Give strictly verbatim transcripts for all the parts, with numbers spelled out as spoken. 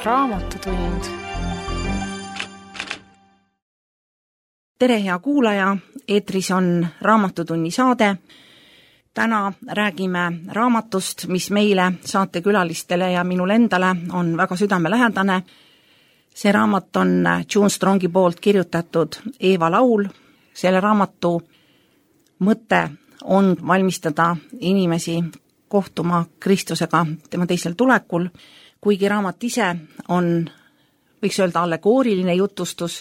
Raamatutund. Tere, hea kuulaja, eetris on Raamatutunni saade. Täna räägime raamatust, mis meile, saatekülalistele ja minule endale on väga südamelähedane. See raamat on June Strongi poolt kirjutatud Eeva laul. Selle raamatu mõte on valmistada inimesi kohtuma Kristusega tema teisel tulekul, kuigi raamat ise on, võiks öelda, allegooriline jutustus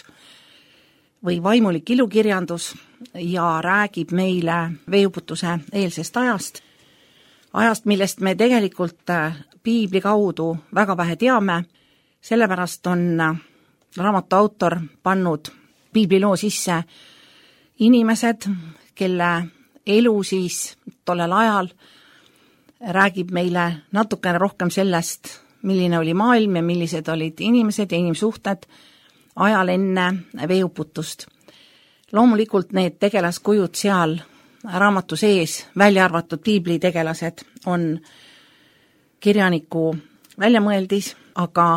või vaimulik ilukirjandus ja räägib meile veeuputuse eelsest ajast, ajast, millest me tegelikult piibli kaudu väga vähe teame, sellepärast on raamatu autor pannud piibliloo sisse inimesed, kelle elu siis tollel ajal räägib meile natukene rohkem sellest, milline oli maailm ja millised olid inimesed ja inimsuhted ajal enne veeuputust. Loomulikult need tegelaskujud seal raamatu sees, välja arvatud piibli tegelased, on kirjaniku väljamõeldis, aga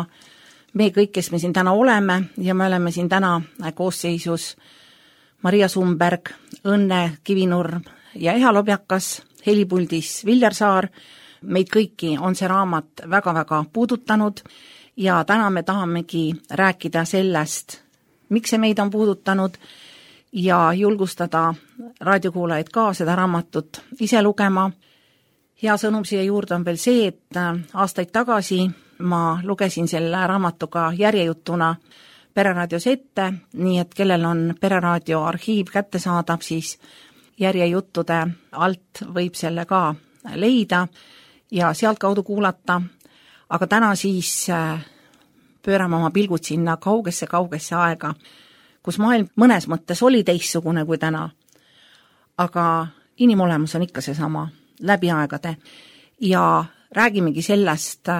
me kõik, kes me siin täna oleme ja me oleme siin täna koosseisus Maria Sumberg, Õnne Kivinurm ja Eha Lobjakas, helipuldis Viljar Saar, meid kõiki on see raamat väga-väga puudutanud ja täna me tahamegi rääkida sellest, miks see meid on puudutanud ja julgustada raadiokuulajaid ka seda raamatut ise lugema. Hea sõnum siia juurde on veel see, et aastaid tagasi ma lugesin selle raamatuga järjejutuna Pereraadios ette, nii et kellel on Pereraadio arhiiv kätte saadab, siis järjejuttude alt võib selle ka leida ja sealt kaudu kuulata, aga täna siis pöörame oma pilgud sinna kaugesse-kaugesse aega, kus maailm mõnes mõttes oli teistsugune kui täna, aga inimolemus on ikka seesama läbi aegade ja räägimegi sellest,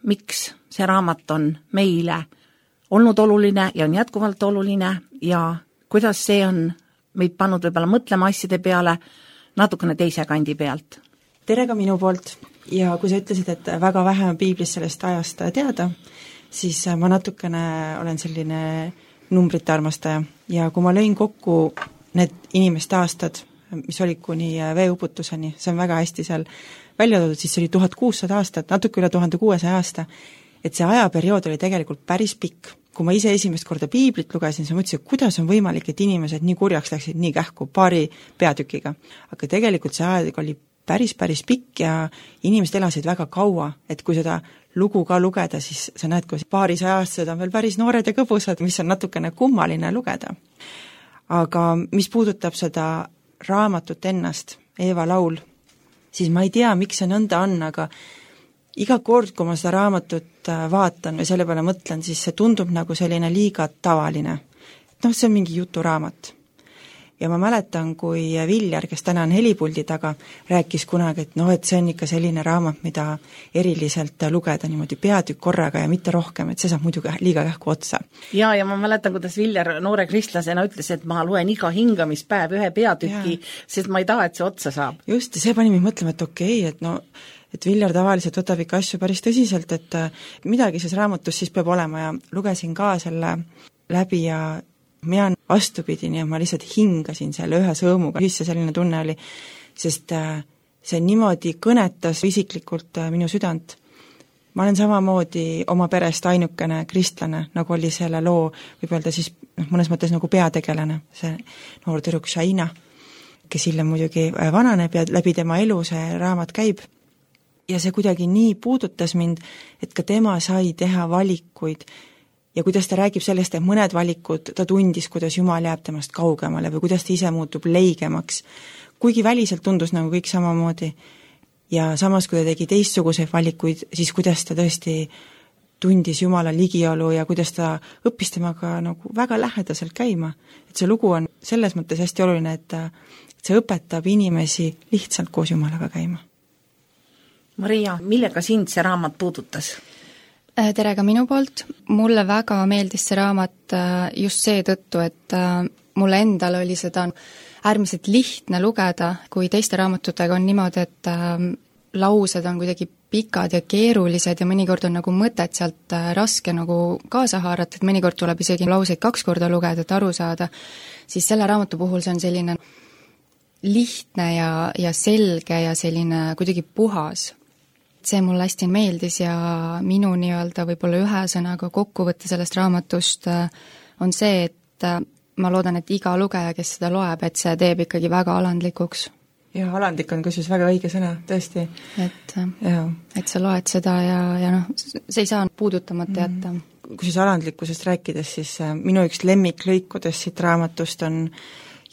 miks see raamat on meile olnud oluline ja on jätkuvalt oluline ja kuidas see on meid pannud võib-olla mõtlema asjade peale natukene teise kandi pealt. Tere ka minu poolt ja kui sa ütlesid, et väga vähe on piiblis sellest ajast teada, siis ma natukene olen selline numbrite armastaja ja kui ma lõin kokku need inimeste aastad, mis olid kuni veeuputuseni, see on väga hästi seal välja toodud, siis see oli tuhat kuussada aastat, natuke üle tuhande kuuesaja aasta, et see ajaperiood oli tegelikult päris pikk. Kui ma ise esimest korda piiblit lugesin, siis ma mõtlesin, kuidas on võimalik, et inimesed nii kurjaks läksid nii kähku paari peatükiga. Aga tegelikult see aeg oli päris, päris pikk ja inimesed elasid väga kaua, et kui seda lugu ka lugeda, siis sa näed, kui paarisaja aastased on veel päris noored ja kõbusad, mis on natukene kummaline lugeda. Aga mis puudutab seda raamatut ennast, Eeva laul, siis ma ei tea, miks see nõnda on, aga iga kord, kui ma seda raamatut vaatan või selle peale mõtlen, siis see tundub nagu selline liiga tavaline. Noh, see on mingi juturaamat. Ja ma mäletan, kui Viljar, kes täna on helipuldi taga, rääkis kunagi, et noh, et see on ikka selline raamat, mida eriliselt lugeda niimoodi peatükk korraga ja mitte rohkem, et see saab muidugi liiga kähku otsa. Ja, ja ma mäletan, kuidas Viljar noore kristlasena ütles, et ma loen iga hingamispäev ühe peatüki, ja. Sest ma ei taha, et see otsa saab. Just, ja see pani mind mõtlema, et okei, okay, et no et Viljar tavaliselt võtab ikka asju päris tõsiselt, et midagi selles raamatus siis peab olema ja lugesin ka selle läbi ja mina vastupidi, nii et ma lihtsalt hingasin selle ühe sõõmuga, mis see selline tunne oli, sest see niimoodi kõnetas isiklikult minu südant. Ma olen samamoodi oma perest ainukene kristlane, nagu oli selle loo, võib öelda siis noh, mõnes mõttes nagu peategelane, see noor tüdruk Shaina, kes hiljem muidugi vananeb ja läbi tema elu see raamat käib. Ja see kuidagi nii puudutas mind, et ka tema sai teha valikuid ja kuidas ta räägib sellest, et mõned valikud ta tundis, kuidas Jumal jääb temast kaugemale või kuidas ta ise muutub leigemaks, kuigi väliselt tundus nagu kõik samamoodi. Ja samas, kui ta tegi teistsuguseid valikuid, siis kuidas ta tõesti tundis Jumala ligiolu ja kuidas ta õppis temaga nagu väga lähedaselt käima. Et see lugu on selles mõttes hästi oluline, et see õpetab inimesi lihtsalt koos Jumalaga käima. Maria, millega sind see raamat puudutas? Tere ka minu poolt. Mulle väga meeldis see raamat just seetõttu, et mulle endal oli seda äärmiselt lihtne lugeda, kui teiste raamatutega on niimoodi, et laused on kuidagi pikad ja keerulised ja mõnikord on nagu mõtet sealt raske nagu kaasa haarata, et mõnikord tuleb isegi lauseid kaks korda lugeda, et aru saada, siis selle raamatu puhul see on selline lihtne ja, ja selge ja selline kuidagi puhas. See mulle hästi meeldis ja minu nii-öelda võib-olla ühe sõnaga kokkuvõtte sellest raamatust on see, et ma loodan, et iga lugeja, kes seda loeb, et see teeb ikkagi väga alandlikuks. Ja alandlik on kusjuures väga õige sõna, tõesti. Et, et sa loed seda ja, ja noh, see ei saa puudutamata jätta. Kusjuures alandlikkusest rääkides, siis minu üks lemmiklõikudest siit raamatust on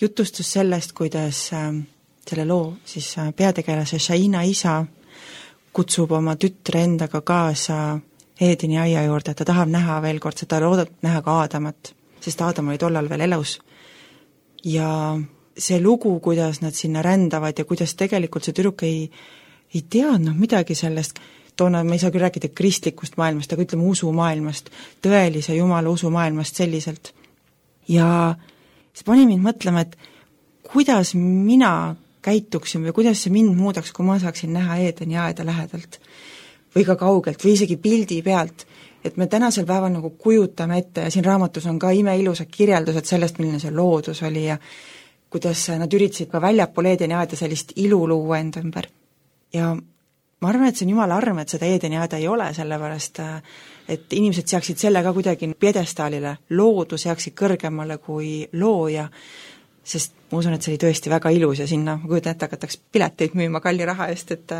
jutustus sellest, kuidas selle loo siis peategelase Shaina isa kutsub oma tütre endaga kaasa Eedeni aia juurde, ta tahab näha veel kord, ta loodab näha ka Aadamat, sest Aadam oli tollal veel elus. Ja see lugu, kuidas nad sinna rändavad ja kuidas tegelikult see tüdruk ei, ei teadnud midagi sellest, toona me ei saa küll rääkida kristlikust maailmast, aga ütleme usumaailmast, tõelise Jumala usumaailmast selliselt. Ja see pani mind mõtlema, et kuidas mina käituksin või kuidas see mind muudaks, kui ma saaksin näha Eedeni aeda lähedalt või ka kaugelt või isegi pildi pealt, et me tänasel päeval nagu kujutame ette ja siin raamatus on ka imeilusad kirjeldused sellest, milline see loodus oli ja kuidas nad üritasid ka väljapool Eedeni aeda sellist ilu luua enda ümber. Ja ma arvan, et see on jumala arm, et seda Eedeni aeda ei ole, sellepärast et inimesed seaksid selle ka kuidagi pjedestaalile, loodu seaksid kõrgemale kui looja, sest ma usun, et see oli tõesti väga ilus ja sinna, ma kujutan ette, hakataks pileteid müüma kalli raha eest, et,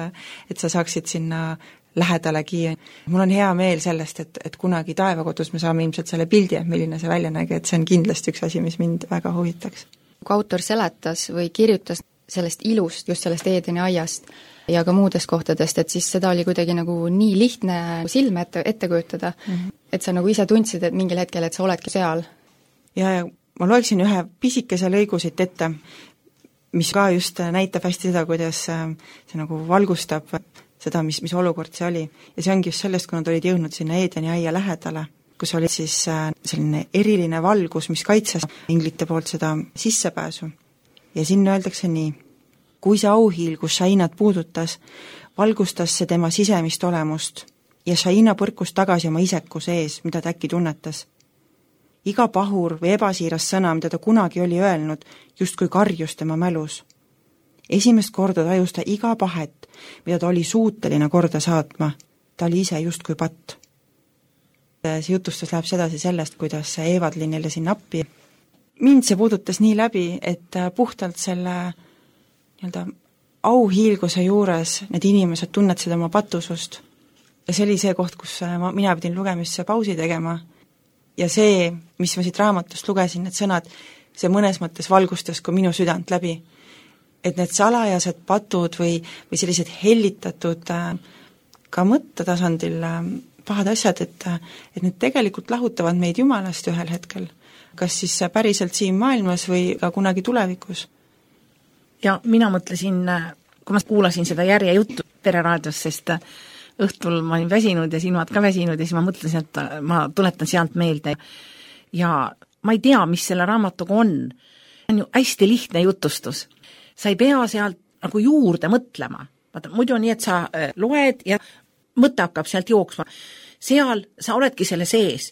et sa saaksid sinna lähedalegi. Mul on hea meel sellest, et, et kunagi taevakodus me saame ilmselt selle pildi, et milline see välja nägi, et see on kindlasti üks asi, mis mind väga huvitaks. Kui autor seletas või kirjutas sellest ilust, just sellest Eedeni aiast ja ka muudest kohtadest, et siis seda oli kuidagi nagu nii lihtne silme ette, ette kujutada, mm-hmm. et sa nagu ise tundsid, et mingil hetkel, et sa oledki seal. Ja, ja ma loeksin ühe pisikese lõigu siit ette, mis ka just näitab hästi seda, kuidas see nagu valgustab seda, mis, mis olukord see oli. Ja see ongi just sellest, kui nad olid jõudnud sinna Eedeni aia lähedale, kus oli siis selline eriline valgus, mis kaitses inglite poolt seda sissepääsu. Ja sinna öeldakse nii, kui see auhiil, kus Shainat puudutas, valgustas see tema sisemist olemust ja Shaina põrkus tagasi oma isekuse ees, mida ta äkki tunnetas. Iga pahur või ebasiiras sõna, mida ta kunagi oli öelnud, justkui karjus tema mälus. Esimest korda tajus ta iga pahet, mida ta oli suuteline korda saatma. Ta oli ise justkui patt. See jutustus läheb sedasi sellest, kuidas Eevadlin neile siin appi. Mind see puudutas nii läbi, et puhtalt selle nii-öelda auhiilguse juures need inimesed tunnetasid oma patusust. Ja see oli see koht, kus ma, mina pidin lugemisse pausi tegema. Ja see, mis ma siit raamatust lugesin, need sõnad, see mõnes mõttes valgustas ka minu südant läbi. Et need salajased patud või, või sellised hellitatud ka mõttetasandil pahad asjad, et, et need tegelikult lahutavad meid Jumalast ühel hetkel. Kas siis päriselt siin maailmas või ka kunagi tulevikus? Ja mina mõtlesin, kui ma kuulasin seda järje juttu Pereraadios, sest õhtul ma olin väsinud ja silmad ka väsinud ja siis ma mõtlesin, et ma tuletan sealt meelde. Ja ma ei tea, mis selle raamatuga on. See on ju hästi lihtne jutustus. Sa ei pea sealt nagu juurde mõtlema. Vaata, muidu on nii, et sa loed ja mõte hakkab sealt jooksma. Seal sa oledki selle sees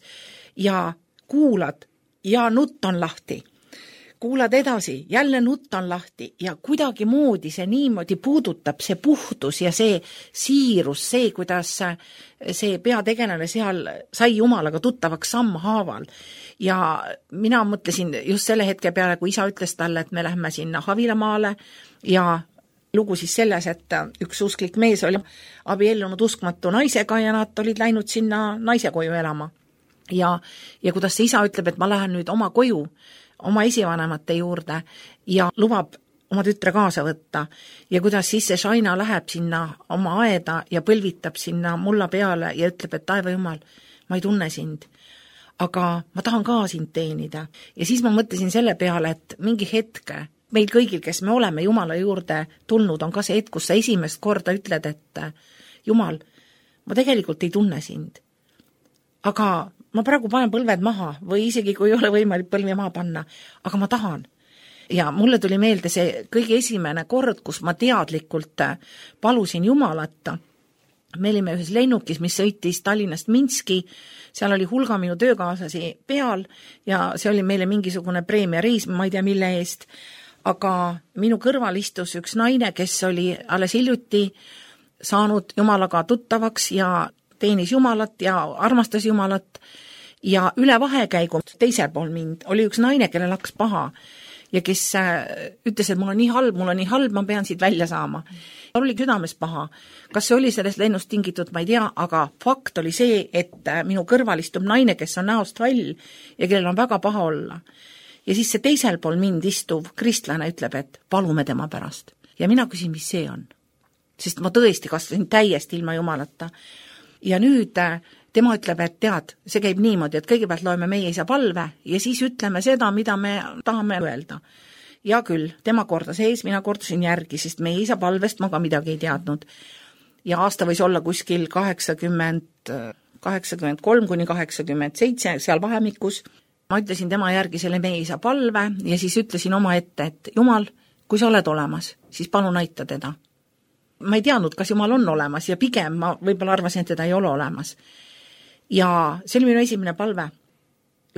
ja kuulad ja nutt on lahti. Kuulad edasi, jälle nutt on lahti ja kuidagi moodi see niimoodi puudutab, see puhtus ja see siirus, see, kuidas see peategelane seal sai Jumalaga tuttavaks sammhaaval. Ja mina mõtlesin just selle hetke peale, kui isa ütles talle, et me lähme sinna Havilamaale ja lugu siis selles, et üks usklik mees oli abiellunud uskmatu naisega ja nad olid läinud sinna naise koju elama. Ja, ja kuidas see isa ütleb, et ma lähen nüüd oma koju, oma esivanemate juurde ja lubab oma tütre kaasa võtta ja kuidas siis see Shaina läheb sinna oma aeda ja põlvitab sinna mulla peale ja ütleb, et taeva Jumal, ma ei tunne sind, aga ma tahan ka sind teenida. Ja siis ma mõtlesin selle peale, et mingi hetke meil kõigil, kes me oleme Jumala juurde tulnud, on ka see hetk, kus sa esimest korda ütled, et Jumal, ma tegelikult ei tunne sind. Aga ma praegu panen põlved maha või isegi kui ei ole võimalik põlvi maha panna, aga ma tahan. Ja mulle tuli meelde see kõige esimene kord, kus ma teadlikult palusin Jumalat me olime ühes lennukis, mis sõitis Tallinnast Minski, seal oli hulga minu töökaaslasi peal ja see oli meile mingisugune preemiareis, ma ei tea mille eest, aga minu kõrval istus üks naine, kes oli alles hiljuti saanud Jumalaga tuttavaks ja teenis Jumalat ja armastas Jumalat ja üle vahekäigu teisel pool mind oli üks naine, kellel hakkas paha ja kes ütles, et mul on nii halb, mul on nii halb, ma pean siit välja saama. Tal oli südames paha. Kas see oli sellest lennust tingitud, ma ei tea, aga fakt oli see, et minu kõrval istub naine, kes on näost vall ja kellel on väga paha olla. Ja siis see teisel pool mind istuv kristlane ütleb, et palume tema pärast. Ja mina küsin, mis see on. Sest ma tõesti kasvasin täiesti ilma Jumalata. Ja nüüd tema ütleb, et tead, see käib niimoodi, et kõigepealt loeme meie isa palve ja siis ütleme seda, mida me tahame öelda. Ja küll, tema kordas ees, mina kordasin järgi, sest meie isa palvest ma ka midagi ei teadnud. Ja aasta võis olla kuskil kaheksakümmend, kaheksakümmend kolm kuni kaheksakümmend seitse, seal vahemikus. Ma ütlesin tema järgi selle meie isa palve ja siis ütlesin oma ette, et Jumal, kui sa oled olemas, siis palun aita teda. Ma ei teadnud, kas Jumal on olemas ja pigem ma võib-olla arvasin, et teda ei ole olemas. Ja see oli minu esimene palve.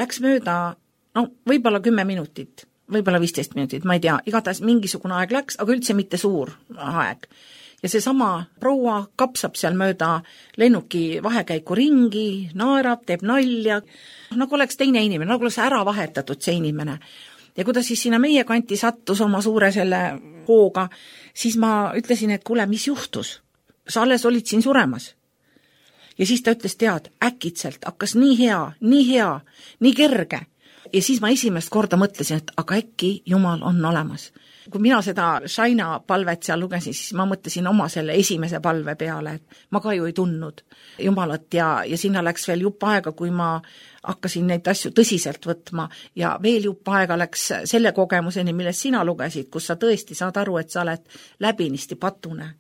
Läks mööda, no võib-olla kümme minutit, võib-olla viisteist minutit, ma ei tea, igatahes mingisugune aeg läks, aga üldse mitte suur aeg. Ja see sama proua kapsab seal mööda lennuki vahekäiku ringi, naerab, teeb nalja, nagu oleks teine inimene, nagu oleks ära vahetatud see inimene. Ja kui ta siis sinna meie kanti sattus oma suure selle hooga, siis ma ütlesin, et kuule, mis juhtus? Sa alles olid siin suremas. Ja siis ta ütles, tead, äkitselt hakkas nii hea, nii hea, nii kerge. Ja siis ma esimest korda mõtlesin, et aga äkki Jumal on olemas. Kui mina seda Shaina palvet seal lugesin, siis ma mõtlesin oma selle esimese palve peale, et ma ka ju ei tundnud Jumalat ja, ja sinna läks veel jupp aega, kui ma hakkasin neid asju tõsiselt võtma ja veel jupp aega läks selle kogemuseni, millest sina lugesid, kus sa tõesti saad aru, et sa oled läbinisti patune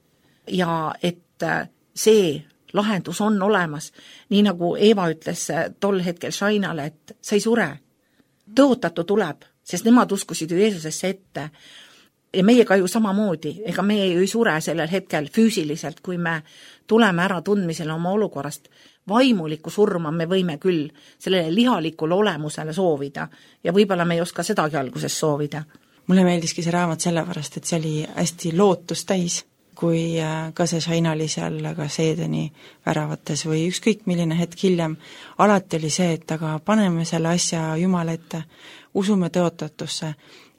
ja et see lahendus on olemas, nii nagu Eeva ütles tol hetkel Shainale, et sa ei sure, tõotatu tuleb, sest nemad uskusid ju Jeesusesse ette ja meiega ju samamoodi, ega meie ju ei sure sellel hetkel füüsiliselt, kui me tuleme ära tundmisele oma olukorrast. Vaimulikku surma me võime küll sellele lihalikule olemusele soovida ja võib-olla me ei oska sedagi alguses soovida. Mulle meeldiski see raamat sellepärast, et see oli hästi lootust täis, kui ka see Shaina oli seal ka Seedeni väravates või ükskõik milline hetk hiljem. Alati oli see, et aga paneme selle asja Jumala ette, usume tõotatusse,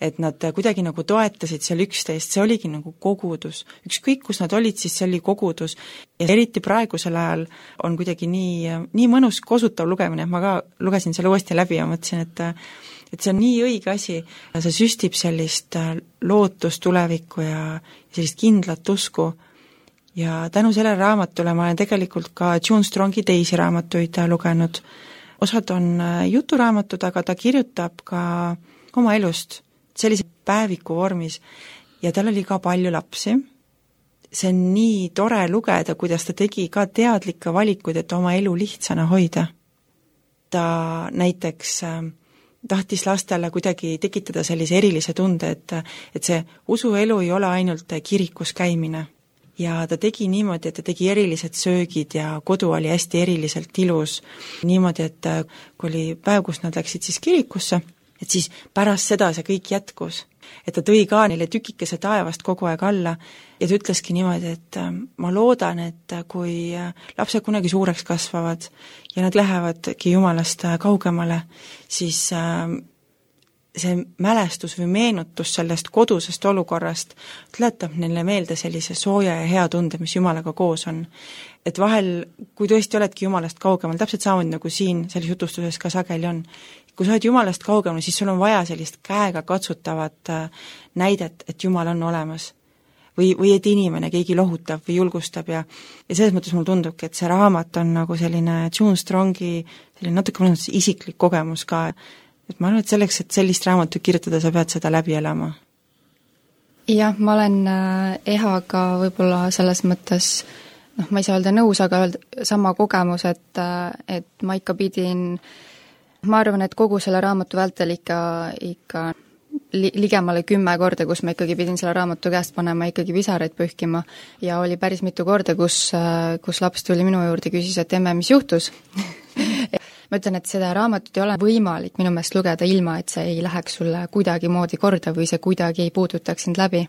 et nad kuidagi nagu toetasid seal üksteist, see oligi nagu kogudus. Ükskõik, kus nad olid, siis see oli kogudus. Ja eriti praegusel ajal on kuidagi nii, nii mõnus kosutav lugemine, et ma ka lugesin selle uuesti läbi ja mõtlesin, et et see on nii õige asi, see süstib sellist lootust tulevikku ja sellist kindlat usku. Ja tänu sellele raamatule ma olen tegelikult ka June Strongi teisi raamatuid lugenud. Osad on juturaamatud, aga ta kirjutab ka oma elust sellise päeviku vormis ja tal oli ka palju lapsi. See on nii tore lugeda, kuidas ta tegi ka teadlikke valikuid, et oma elu lihtsana hoida. Ta näiteks tahtis lastele kuidagi tekitada sellise erilise tunde, et, et see usuelu ei ole ainult kirikus käimine. Ja ta tegi niimoodi, et ta tegi erilised söögid ja kodu oli hästi eriliselt ilus. Niimoodi, et kui oli päev, kus nad läksid siis kirikusse, et siis pärast seda see kõik jätkus. Et ta tõi ka neile tükikese taevast kogu aeg alla ja ta ütleski niimoodi, et ma loodan, et kui lapsed kunagi suureks kasvavad ja nad lähevadki Jumalast kaugemale, siis see mälestus või meenutus sellest kodusest olukorrast tuletab neile meelde sellise sooja ja hea tunde, mis Jumalaga koos on. Et vahel, kui tõesti oledki Jumalast kaugemal, täpselt samamoodi nagu siin selles jutustuses ka sageli on, kui sa oled Jumalast kaugemal, siis sul on vaja sellist käega katsutavat näidet, et Jumal on olemas. Või, või et inimene, keegi lohutab või julgustab ja, ja selles mõttes mul tundubki, et see raamat on nagu selline June Strongi selline natuke mõnes isiklik kogemus ka. Et ma arvan, et selleks, et sellist raamatut kirjutada, sa pead seda läbi elama. Jah, ma olen Ehaga võib-olla selles mõttes, noh, ma ei saa öelda nõus, aga öelda sama kogemus, et, et ma ikka pidin, ma arvan, et kogu selle raamatu vältel ikka, ikka li-, ligemale kümme korda, kus ma ikkagi pidin selle raamatu käest panema ikkagi pisaraid pühkima ja oli päris mitu korda, kus, kus laps tuli minu juurde ja küsis, et emme, mis juhtus ma ütlen, et seda raamatut ei ole võimalik minu meelest lugeda ilma, et see ei läheks sulle kuidagimoodi korda või see kuidagi ei puudutaks sind läbi.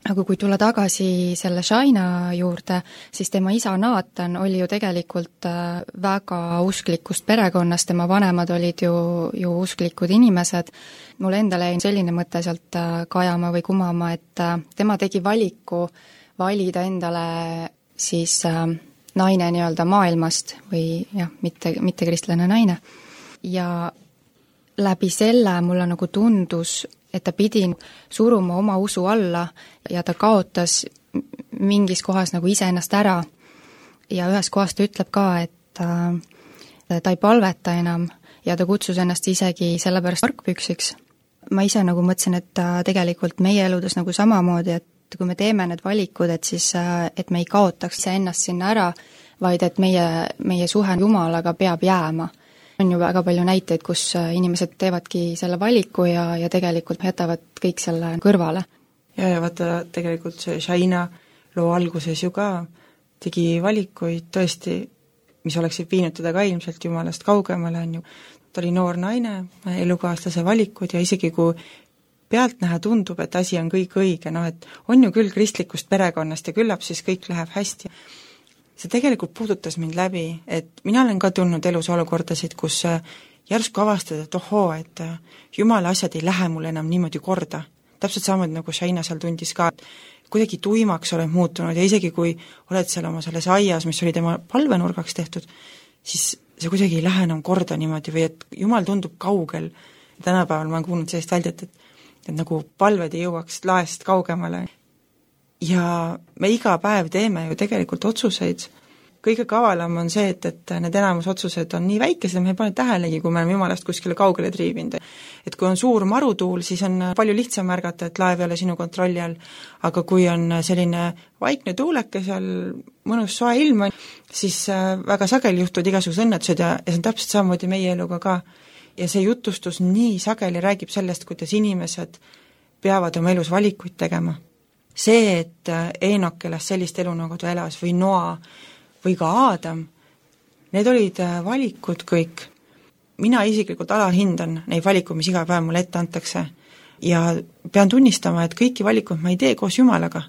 Aga kui tulla tagasi selle Shaina juurde, siis tema isa Nathan oli ju tegelikult väga usklikust perekonnast, tema vanemad olid ju, ju usklikud inimesed. Mulle endale jäi selline mõte sealt kajama või kumama, et tema tegi valiku valida endale siis naine nii-öelda maailmast või jah, mitte, mitte kristlane naine. Ja läbi selle mulle nagu tundus, et ta pidi suruma oma usu alla ja ta kaotas mingis kohas nagu iseennast ära. Ja ühes kohas ta ütleb ka, et ta, ta ei palveta enam ja ta kutsus ennast isegi sellepärast argpüksiks. Ma ise nagu mõtlesin, et tegelikult meie eludes nagu samamoodi, et kui me teeme need valikud, et siis, et me ei kaotaks ennast sinna ära, vaid et meie, meie suhe Jumalaga peab jääma. On ju väga palju näiteid, kus inimesed teevadki selle valiku ja, ja tegelikult jätavad kõik selle kõrvale. Ja, ja vaata, tegelikult see Shaina loo alguses ju ka tegi valikuid tõesti, mis oleksid viinud teda ka ilmselt Jumalast kaugemale, on ju. Ta oli noor naine, elukaaslase valikud ja isegi kui pealtnäha tundub, et asi on kõik õige, noh et on ju küll kristlikust perekonnast ja küllap siis kõik läheb hästi. See tegelikult puudutas mind läbi, et mina olen ka tulnud elus olukordasid, kus järsku avastad, et ohoo, et Jumala asjad ei lähe mulle enam niimoodi korda. Täpselt samamoodi nagu Shaina seal tundis ka, et kuidagi tuimaks oled muutunud ja isegi kui oled seal oma selles aias, mis oli tema palvenurgaks tehtud, siis see kuidagi ei lähe enam korda niimoodi või et Jumal tundub kaugel. Tänapäeval ma olen kuulnud sellist väljat, et, et nagu palved ei jõuaks laest kaugemale. Ja me iga päev teeme ju tegelikult otsuseid. Kõige kavalam on see, et, et need enamus otsused on nii väikesed, me ei pane tähelegi, kui me oleme Jumalast kuskile kaugele triivinud. Et kui on suur marutuul, siis on palju lihtsam märgata, et laev ei ole sinu kontrolli all, aga kui on selline vaikne tuuleke seal, mõnus soe ilm, siis väga sageli juhtuvad igasugused õnnetused ja, ja see on täpselt samamoodi meie eluga ka. Ja see jutustus nii sageli räägib sellest, kuidas inimesed peavad oma elus valikuid tegema. See, et Eenok elas sellist elu, nagu ta elas, või Noa, või ka Aadam, need olid valikud kõik. Mina isiklikult alahindan neid valikuid, mis iga päev mulle ette antakse. Ja pean tunnistama, et kõiki valikuid ma ei tee koos Jumalaga.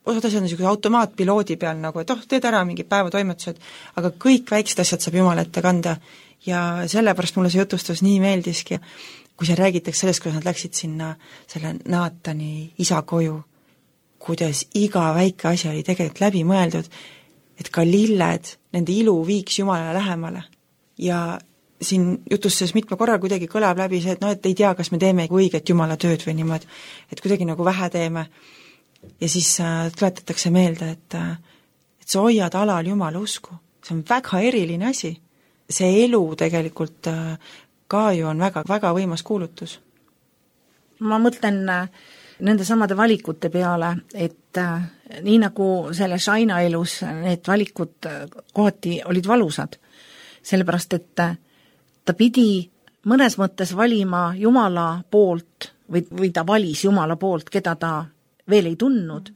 Osad asjad on niisugune automaatpiloodi peal, nagu et oh, teed ära mingi päevatoimetused, aga kõik väiksed asjad saab Jumala ette kanda. Ja sellepärast mulle see jutustus nii meeldiski. Kui see räägitakse sellest, kuidas nad läksid sinna selle Nathani isa koju, kuidas iga väike asi oli tegelikult läbi mõeldud, et ka lilled, nende ilu viiks Jumalale lähemale. Ja siin jutustes mitme korral kuidagi kõlab läbi see, et no, et ei tea, kas me teeme õiget Jumala tööd või niimoodi, et kuidagi nagu vähe teeme. Ja siis äh, tuletatakse meelde, et, et sa hoiad alal Jumala usku. See on väga eriline asi. See elu tegelikult äh, ka ju on väga, väga võimas kuulutus. Ma mõtlen äh... nende samade valikute peale, et äh, nii nagu selle Shaina elus need valikud kohati olid valusad, sellepärast et äh, ta pidi mõnes mõttes valima Jumala poolt või, või ta valis Jumala poolt, keda ta veel ei tundnud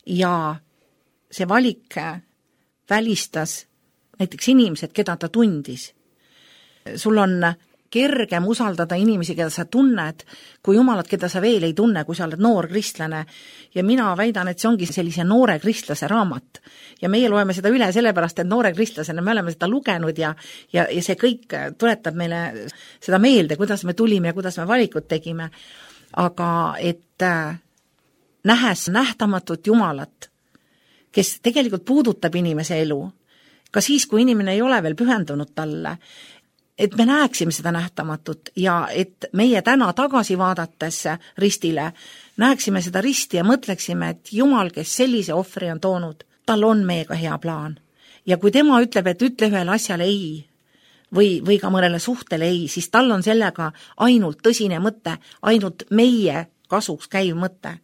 ja see valik välistas näiteks inimesed, keda ta tundis. Sul on kergem usaldada inimesi, keda sa tunned, kui Jumalat, keda sa veel ei tunne, kui sa oled noor kristlane. Ja mina väidan, et see ongi sellise noore kristlase raamat. Ja meie loeme seda üle sellepärast, et noore kristlasena me oleme seda lugenud ja, ja, ja see kõik tuletab meile seda meelde, kuidas me tulime ja kuidas me valikud tegime. Aga et äh, nähes nähtamatut Jumalat, kes tegelikult puudutab inimese elu, ka siis, kui inimene ei ole veel pühendunud talle, et me näeksime seda nähtamatut ja et meie täna tagasi vaadates ristile näeksime seda risti ja mõtleksime, et Jumal, kes sellise ohvri on toonud, tal on meiega hea plaan. Ja kui tema ütleb, et ütle ühele asjale ei või, või ka mõnele suhtele ei, siis tal on sellega ainult tõsine mõte, ainult meie kasuks käiv mõte.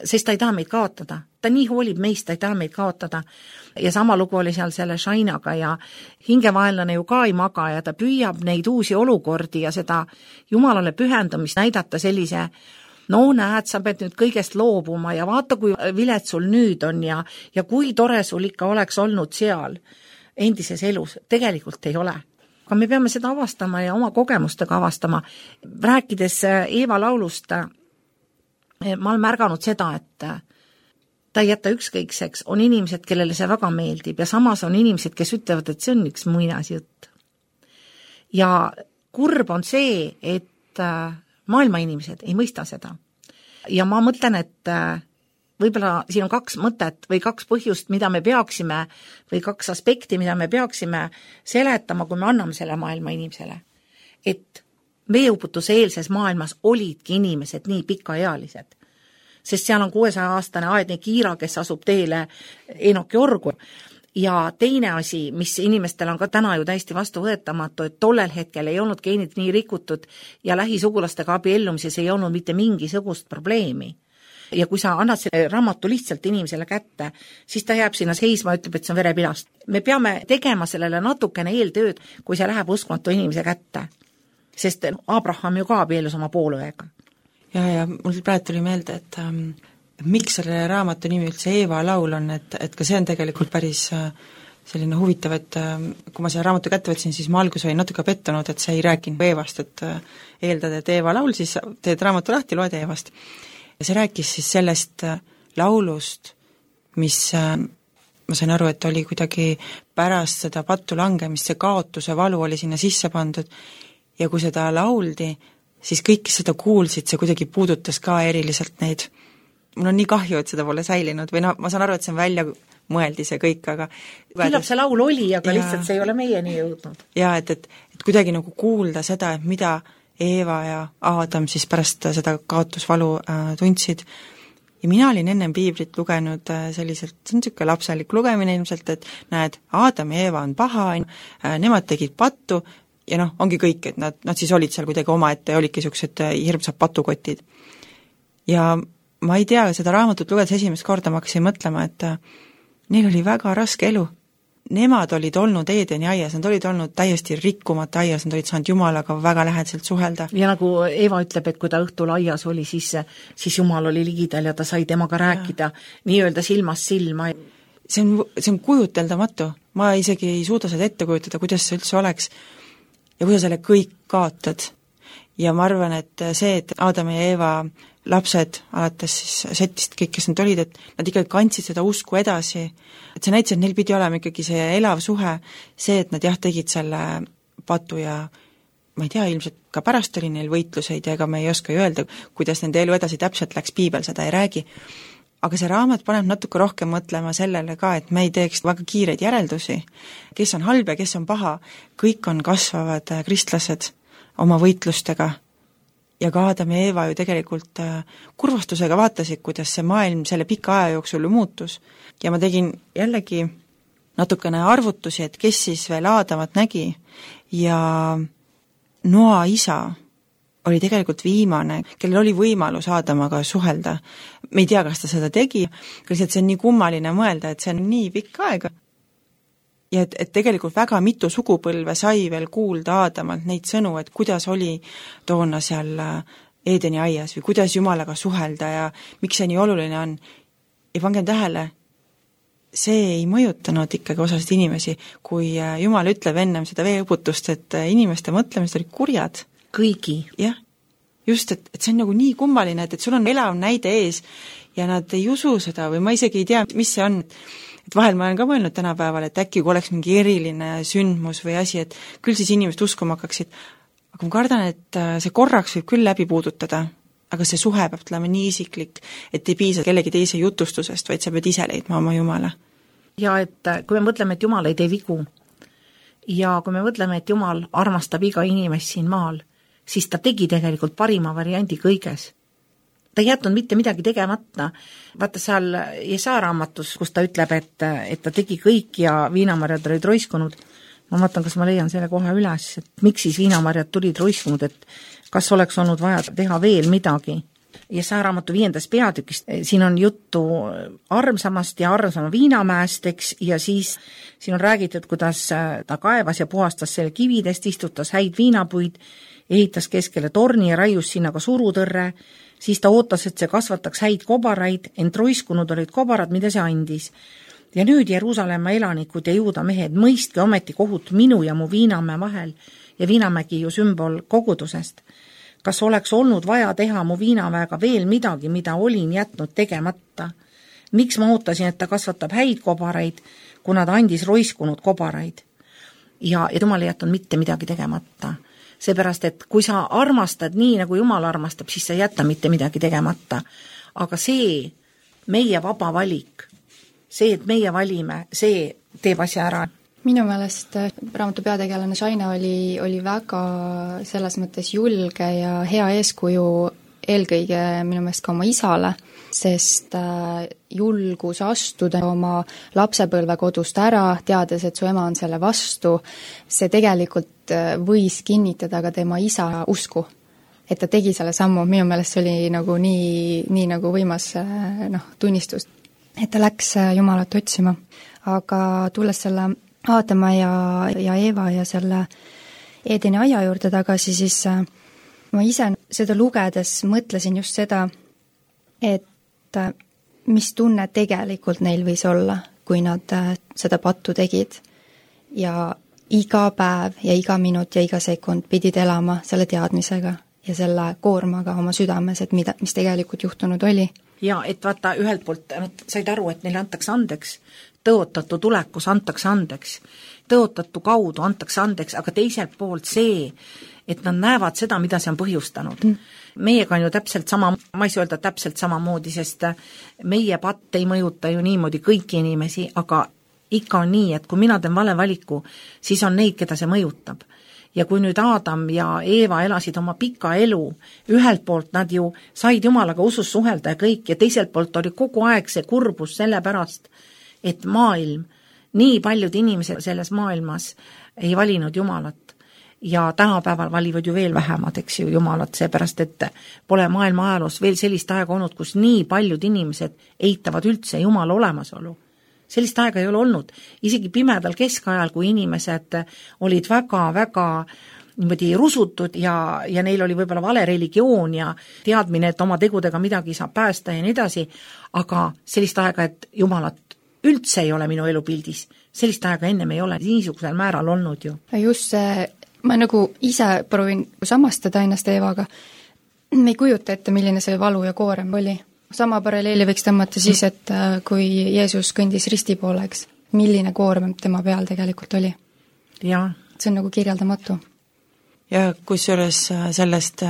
sest ta ei taha meid kaotada. Ta nii hoolib meist, ta ei taha meid kaotada. Ja sama lugu oli seal selle Shainaga ja hingevaenlane ju ka ei maga ja ta püüab neid uusi olukordi ja seda Jumalale pühendumist näidata sellise no näed, sa pead nüüd kõigest loobuma ja vaata, kui vilet sul nüüd on ja, ja kui tore sul ikka oleks olnud seal endises elus. Tegelikult ei ole. Aga me peame seda avastama ja oma kogemustega avastama. Rääkides Eeva laulust, ma olen märganud seda, et ta ei jäta ükskõikseks, on inimesed, kellele see väga meeldib ja samas on inimesed, kes ütlevad, et see on üks muinasjutt. Ja kurb on see, et maailma inimesed ei mõista seda. Ja ma mõtlen, et võib-olla siin on kaks mõtet või kaks põhjust, mida me peaksime, või kaks aspekti, mida me peaksime seletama, kui me anname selle maailma inimesele. Et veeuputuse eelses maailmas olidki inimesed nii pikaealised. Sest seal on kuuesaja aastane Aedni Kiira, kes asub teele Enoki orgu. Ja teine asi, mis inimestel on ka täna ju täiesti vastuvõetamatu, et tollel hetkel ei olnud geenid nii rikutud ja lähisugulastega abiellumises ei olnud mitte mingisugust probleemi. Ja kui sa annad selle raamatu lihtsalt inimesele kätte, siis ta jääb sinna seisma ja ütleb, et see on verepilast. Me peame tegema sellele natukene eeltööd, kui see läheb uskmatu inimese kätte. Sest Abraham ju ka abiellus oma poolõega. Ja, ja mul praegu tuli meelde, et ähm, miks selle raamatu nimi üldse Eeva laul on, et, et ka see on tegelikult päris äh, selline huvitav, et äh, kui ma selle raamatu kätte võtsin, siis ma algus olin natuke pettunud, et see ei rääkinud Eevast, et äh, eeldad, et Eeva laul, siis teed raamatu lahti, loed Eevast. Ja see rääkis siis sellest äh, laulust, mis äh, ma sain aru, et oli kuidagi pärast seda pattu langemist, see kaotuse valu oli sinna sisse pandud ja kui seda lauldi, siis kõik, kes seda kuulsid, see kuidagi puudutas ka eriliselt neid. Mul on nii kahju, et seda pole säilinud või no ma saan aru, et see on välja mõeldi see kõik, aga küllap see laul oli, aga ja, lihtsalt see ei ole meieni jõudnud. Ja, et, et, et kuidagi nagu kuulda seda, et mida Eeva ja Aadam siis pärast seda kaotusvalu äh, tundsid. Ja mina olin ennem piiblit lugenud äh, selliselt, see on niisugune lapselik lugemine ilmselt, et näed, Aadam ja Eeva on paha, äh, nemad tegid pattu, ja noh, ongi kõik, et nad, nad siis olid seal kuidagi omaette ja olidki niisugused hirmsad patukotid. Ja ma ei tea, seda raamatut lugedes esimest korda ma hakkasin mõtlema, et neil oli väga raske elu. Nemad olid olnud Eedeni aias, nad olid olnud täiesti rikkumata aias, nad olid saanud Jumalaga väga lähedaselt suhelda. Ja nagu Eeva ütleb, et kui ta õhtul aias oli, siis, siis Jumal oli ligidal ja ta sai temaga rääkida ja. Nii-öelda silmast silma. See on, see on kujuteldamatu. Ma isegi ei suuda seda ette kujutada, kuidas see üldse oleks. Ja kui sa selle kõik kaotad. Ja ma arvan, et see, et Aadam ja Eeva lapsed alates siis setist kõik, kes nad olid, et nad ikkagi kandsid seda usku edasi, et see näitas, et neil pidi olema ikkagi see elav suhe, see, et nad jah, tegid selle patu ja ma ei tea, ilmselt ka pärast oli neil võitluseid ja ega me ei oska ju öelda, kuidas nende elu edasi täpselt läks, piibel seda ei räägi. Aga see raamat paneb natuke rohkem mõtlema sellele ka, et me ei teeks väga kiireid järeldusi, kes on halb ja kes on paha, kõik on kasvavad kristlased oma võitlustega ja ka Aadam ja Eeva ju tegelikult kurvastusega vaatasid, kuidas see maailm selle pika aja jooksul muutus. Ja ma tegin jällegi natukene arvutusi, et kes siis veel Aadamat nägi ja Noa isa oli tegelikult viimane, kellel oli võimalus Aadamaga suhelda. Me ei tea, kas ta seda tegi, lihtsalt see on nii kummaline mõelda, et see on nii pikk aega. Ja et, et tegelikult väga mitu sugupõlve sai veel kuulda Aadamalt neid sõnu, et kuidas oli toona seal Eedeni aias või kuidas Jumalaga suhelda ja miks see nii oluline on. Ja pangem tähele, see ei mõjutanud ikkagi osasid inimesi, kui Jumal ütleb ennem seda veeõputust, et inimeste mõtlemised olid kurjad. Kõigi. Jah, just, et, et see on nagu nii kummaline, et, et sul on elav näide ees ja nad ei usu seda või ma isegi ei tea, mis see on. Et vahel ma olen ka mõelnud tänapäeval, et äkki kui oleks mingi eriline sündmus või asi, et küll siis inimesed uskuma hakkaksid. Aga ma kardan, et see korraks võib küll läbi puudutada, aga see suhe peab tulema nii isiklik, et ei piisa kellegi teise jutustusest, vaid sa pead ise leidma oma Jumala. Ja et kui me mõtleme, et Jumal ei tee vigu ja kui me mõtleme, et Jumal armastab iga inimest siin maal, siis ta tegi tegelikult parima variandi kõiges. Ta ei jätnud mitte midagi tegemata. Vaata seal Jesaa raamatus, kus ta ütleb, et, et ta tegi kõik ja viinamarjad olid roiskunud. Ma vaatan, kas ma leian selle kohe üles, et miks siis viinamarjad tulid roiskunud, et kas oleks olnud vaja teha veel midagi. ja see raamatu viiendas peatükis, siin on juttu armsamast ja armsama viinamäest, eks, ja siis siin on räägitud, kuidas ta kaevas ja puhastas selle kividest, istutas häid viinapuid, ehitas keskele torni ja raius sinna ka surutõrre, siis ta ootas, et see kasvataks häid kobaraid, ent roiskunud olid kobarad, mida see andis. Ja nüüd Jeruusalemma elanikud ja juuda mehed, mõistke ometi kohut minu ja mu viinamäe vahel, ja viinamägi ju sümbol kogudusest. Kas oleks olnud vaja teha mu viinamäega veel midagi, mida olin jätnud tegemata? Miks ma ootasin, et ta kasvatab häid kobaraid, kuna ta andis roiskunud kobaraid? Ja, ja Jumal ei jätnud mitte midagi tegemata. Seepärast, et kui sa armastad nii, nagu Jumal armastab, siis sa ei jäta mitte midagi tegemata. Aga see meie vaba valik, see, et meie valime, see teeb asja ära. Minu meelest raamatu peategelane Shaina oli, oli väga selles mõttes julge ja hea eeskuju eelkõige minu meelest ka oma isale, sest julgus astuda oma lapsepõlve kodust ära, teades, et su ema on selle vastu, see tegelikult võis kinnitada ka tema isa usku, et ta tegi selle sammu. Minu meelest see oli nagu nii, nii nagu võimas noh, tunnistus, et ta läks Jumalat otsima. Aga tulles selle Aadama ja, ja Eeva ja selle Eedeni aia juurde tagasi, siis ma ise seda lugedes mõtlesin just seda, et mis tunne tegelikult neil võis olla, kui nad seda pattu tegid. Ja iga päev ja iga minut ja iga sekund pidid elama selle teadmisega ja selle koormaga oma südames, et mida, mis tegelikult juhtunud oli. Ja et vaata, ühelt poolt nad said aru, et neile antakse andeks, tõotatu tulekus antakse andeks, tõotatu kaudu antakse andeks, aga teiselt poolt see, et nad näevad seda, mida see on põhjustanud. Mm. Meiega on ju täpselt sama, ma ei saa öelda täpselt samamoodi, sest meie patt ei mõjuta ju niimoodi kõiki inimesi, aga ikka on nii, et kui mina teen vale valiku, siis on neid, keda see mõjutab. Ja kui nüüd Aadam ja Eeva elasid oma pika elu, ühelt poolt nad ju said Jumalaga usus suhelda ja kõik, ja teiselt poolt oli kogu aeg see kurbus selle pärast, et maailm, nii paljud inimesed selles maailmas ei valinud Jumalat. Ja tänapäeval valivad ju veel vähemad, eks ju, Jumalat, seepärast, et pole maailma ajaloos veel sellist aega olnud, kus nii paljud inimesed eitavad üldse Jumala olemasolu. Sellist aega ei ole olnud. Isegi pimedal keskajal, kui inimesed olid väga-väga niimoodi rusutud ja, ja neil oli võib-olla vale religioon ja teadmine, et oma tegudega midagi saab päästa ja nii edasi, aga sellist aega, et Jumalat üldse ei ole minu elupildis, sellist aega ennem ei ole niisugusel määral olnud ju. Just see, ma nagu ise proovin samastada ennast Eevaga, me ei kujuta ette, milline see valu ja koorem oli. Sama paralleeli võiks tõmmata siis, et kui Jeesus kõndis risti pooleks, milline koorem tema peal tegelikult oli. Ja. See on nagu kirjeldamatu. Ja kusjuures sellest,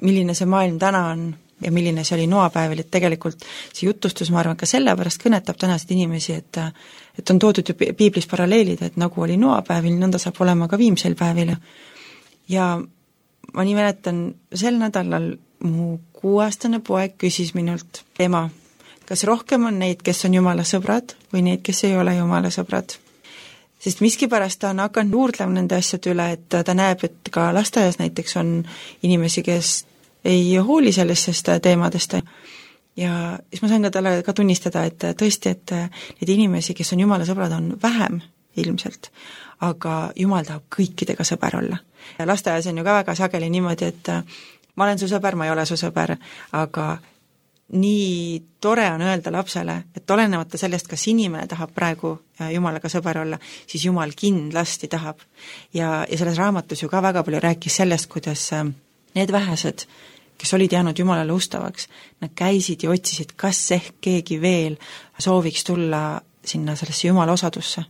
milline see maailm täna on ja milline see oli noapäeval, et tegelikult see jutustus, ma arvan, ka sellepärast kõnetab tänasid inimesi, et, et on toodud ju piiblis paralleelid, et nagu oli noapäevil, nõnda saab olema ka viimsel päevil. Ja ma nii mäletan, sel nädalal mu kuueaastane poeg küsis minult, ema, kas rohkem on neid, kes on Jumala sõbrad või neid, kes ei ole Jumala sõbrad? Sest miskipärast ta on hakanud juurdlema nende asjade üle, et ta näeb, et ka lasteaias näiteks on inimesi, kes ei hooli sellistest teemadest. Ja siis ma sain ka talle ka tunnistada, et tõesti, et need inimesi, kes on Jumala sõbrad, on vähem ilmselt, aga Jumal tahab kõikidega sõber olla. Ja lasteaias on ju ka väga sageli niimoodi, et ma olen su sõber, ma ei ole su sõber, aga nii tore on öelda lapsele, et olenemata sellest, kas inimene tahab praegu Jumalaga sõber olla, siis Jumal kindlasti tahab. Ja, ja selles raamatus ju ka väga palju rääkis sellest, kuidas need vähesed, kes olid jäänud Jumalale ustavaks, nad käisid ja otsisid, kas ehk keegi veel sooviks tulla sinna sellesse Jumala osadusse.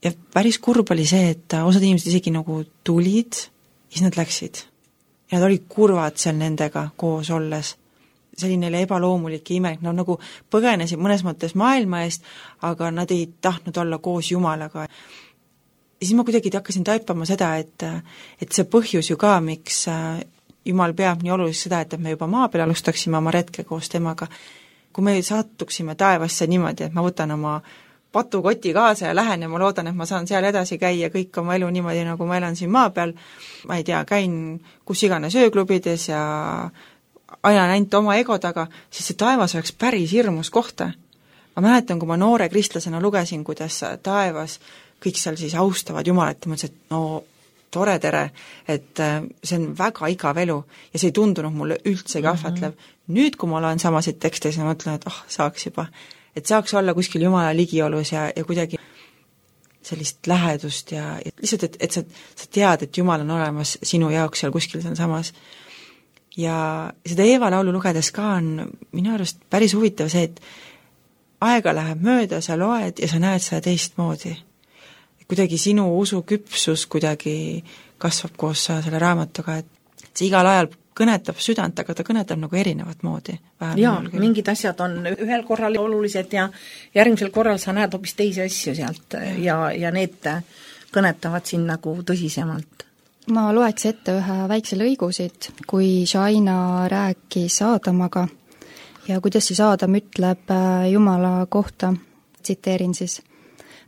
Ja päris kurb oli see, et osad inimesed isegi nagu tulid, siis nad läksid. Ja nad olid kurvad seal nendega koos olles. Selline ebaloomulik ja imelik, nad nagu põgenesid mõnes mõttes maailma eest, aga nad ei tahtnud olla koos Jumalaga. Ja siis ma kuidagi hakkasin taipama seda, et, et see põhjus ju ka, miks Jumal peab nii oluliseks seda, et me juba maa peal alustaksime oma retke koos temaga. Kui me sattuksime taevasse niimoodi, et ma võtan oma patukoti kaasa ja lähen ja ma loodan, et ma saan seal edasi käia kõik oma elu niimoodi, nagu ma elan siin maa peal, ma ei tea, käin kus iganes ööklubides ja ajan ainult oma ego taga, siis see taevas oleks päris hirmus kohta. Ma mäletan, kui ma noore kristlasena lugesin, kuidas taevas kõik seal siis austavad Jumalat ja mõtlesin, et no tore tere, et see on väga igav elu ja see ei tundunud mulle üldse kahvatlev. Mm-hmm. Nüüd, kui ma olen samasid tekste, siis ma mõtlen, et oh, saaks juba, et saaks olla kuskil Jumala ligiolus ja, ja kuidagi sellist lähedust ja, ja lihtsalt, et, et sa, sa tead, et Jumal on olemas sinu jaoks seal kuskil seal samas. Ja seda Eeva laulu lugedes ka on minu arust päris huvitav see, et aega läheb mööda, sa loed ja sa näed seda teistmoodi. Kuidagi sinu usu küpsus kuidagi kasvab koos selle raamatuga, et see igal ajal kõnetab südant, aga ta kõnetab nagu erinevat moodi. Jaa, mingid asjad on ühel korral olulised ja järgmisel korral sa näed hoopis teisi asju sealt ja, ja need kõnetavad siin nagu tõsisemalt. Ma loeks ette ühe väikse lõigusid, kui Shaina rääkis Aadamaga ja kuidas siis Aadam ütleb Jumala kohta, tsiteerin siis,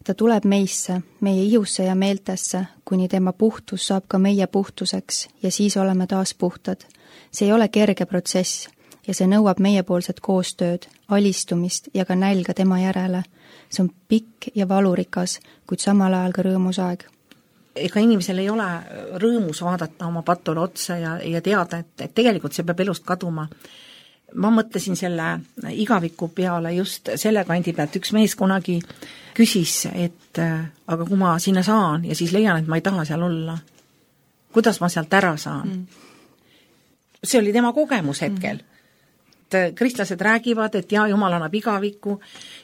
ta tuleb meisse, meie ihusse ja meeltesse, kuni tema puhtus saab ka meie puhtuseks ja siis oleme taas puhtad. See ei ole kerge protsess ja see nõuab meiepoolset koostööd, alistumist ja ka nälga tema järele. See on pikk ja valurikas, kuid samal ajal ka rõõmus aeg. Ega inimesel ei ole rõõmus vaadata oma patule otsa ja, ja teada, et, et tegelikult see peab elust kaduma. Ma mõtlesin selle igaviku peale just selle kandi pealt, üks mees kunagi küsis, et aga kui ma sinna saan ja siis leian, et ma ei taha seal olla, kuidas ma sealt ära saan? Mm. See oli tema kogemus hetkel. Mm. Kristlased räägivad, et jaa, Jumal annab igavikku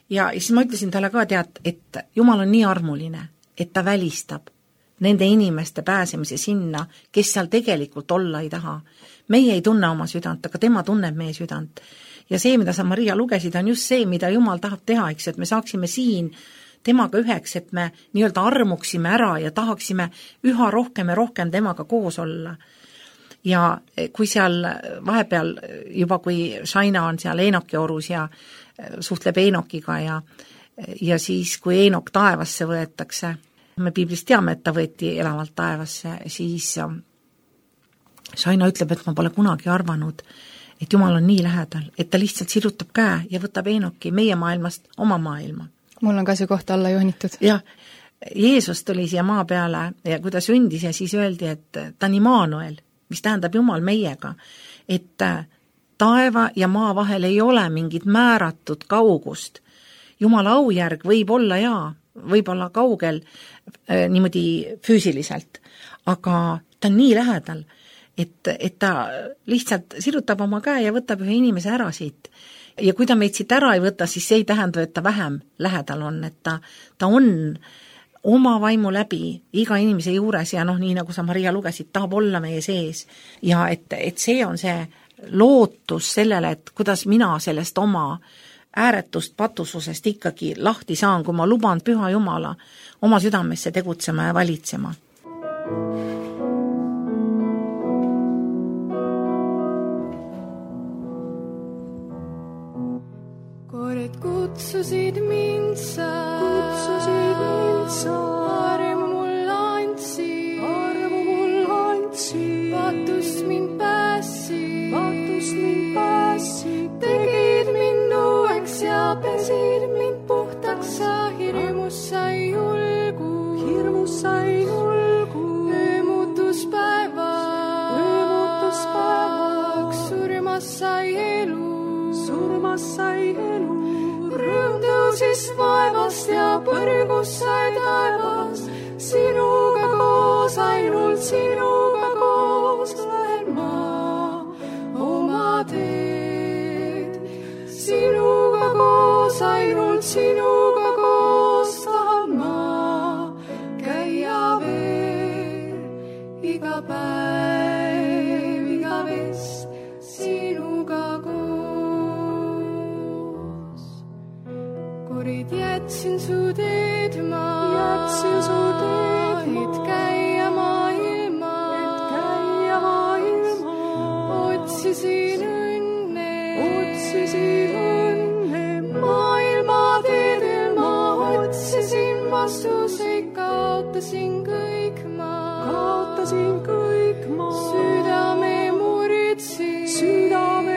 ja siis ma ütlesin talle ka tead, et Jumal on nii armuline, et ta välistab nende inimeste pääsemise sinna, kes seal tegelikult olla ei taha. Meie ei tunne oma südant, aga tema tunneb meie südant. Ja see, mida sa, Maria, lugesid, on just see, mida Jumal tahab teha, eks, et me saaksime siin temaga üheks, et me nii-öelda armuksime ära ja tahaksime üha rohkem ja rohkem temaga koos olla. Ja kui seal vahepeal juba, kui Shaina on seal Eenoki orus ja suhtleb Eenokiga ja, ja siis, kui Eenok taevasse võetakse, me piiblist teame, et ta võeti elavalt taevasse, siis Shaina ütleb, et ma pole kunagi arvanud, et Jumal on nii lähedal, et ta lihtsalt sirutab käe ja võtab Eenoki meie maailmast oma maailma. Mul on ka see koht alla joonitud. Jah, Jeesus tuli siia maa peale ja kui ta sündis ja siis öeldi, et ta on Immanuel, mis tähendab Jumal meiega, et taeva ja maa vahel ei ole mingit määratud kaugust. Jumala aujärg võib olla jaa, võib olla kaugel äh, niimoodi füüsiliselt, aga ta on nii lähedal, et, et ta lihtsalt sirutab oma käe ja võtab ühe inimese ära siit. Ja kui ta meid siit ära ei võta, siis see ei tähenda, et ta vähem lähedal on, et ta, ta on oma vaimu läbi iga inimese juures ja noh, nii nagu sa, Maria, lugesid, tahab olla meie sees. Ja et, et see on see lootus sellele, et kuidas mina sellest oma ääretust patususest ikkagi lahti saan, kui ma luban Püha Jumala oma südamesse tegutsema ja valitsema. Kord kutsusid mind sa, kutsusid mind sa, armu mul andsi, armu mul andsi, patust mind pääsi, patust mind pääsi, tegid mind uueks ja pesid mind puhtaks, sa hirmus sai julgu, hirmus sai julgu, öö muutus päevaks, öö muutus päevaks, surmas sai elu, surmas sai elu. Rõõm tõusis vaevast ja põrgus sai taevas, sinuga koos, ainult sinuga koos lähen ma oma teed. Sinuga koos, ainult sinuga koos tahan ma käia veel iga päev, iga vest sinuga koos. Korid jätsin su teed ma, jätsin su teed ma, et käia maailma, et käia maailma. Otsisin õnne, otsisin õnne, maailma teedel ma otsisin vastuseid, kaotasin kõik ma, kaotasin kõik ma, südame muritsin, südame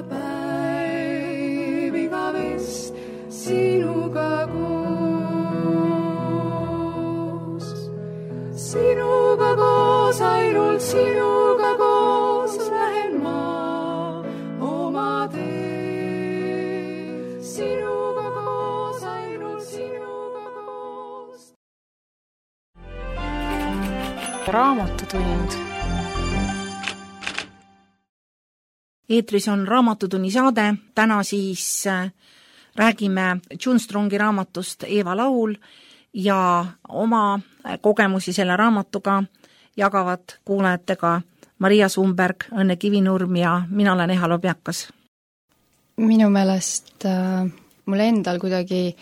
päev igavest sinuga koos. Sinuga koos, ainult sinuga koos lähen ma oma tee. Sinuga koos, ainult sinuga koos. Raamatutund. Eetris on Raamatutunni saade, täna siis räägime June Strongi raamatust Eeva laul ja oma kogemusi selle raamatuga jagavad kuulajatega Maria Sumberg, Õnne Kivinurm ja mina olen Eha Lobjakas. Minu meelest äh, mul endal kuidagi,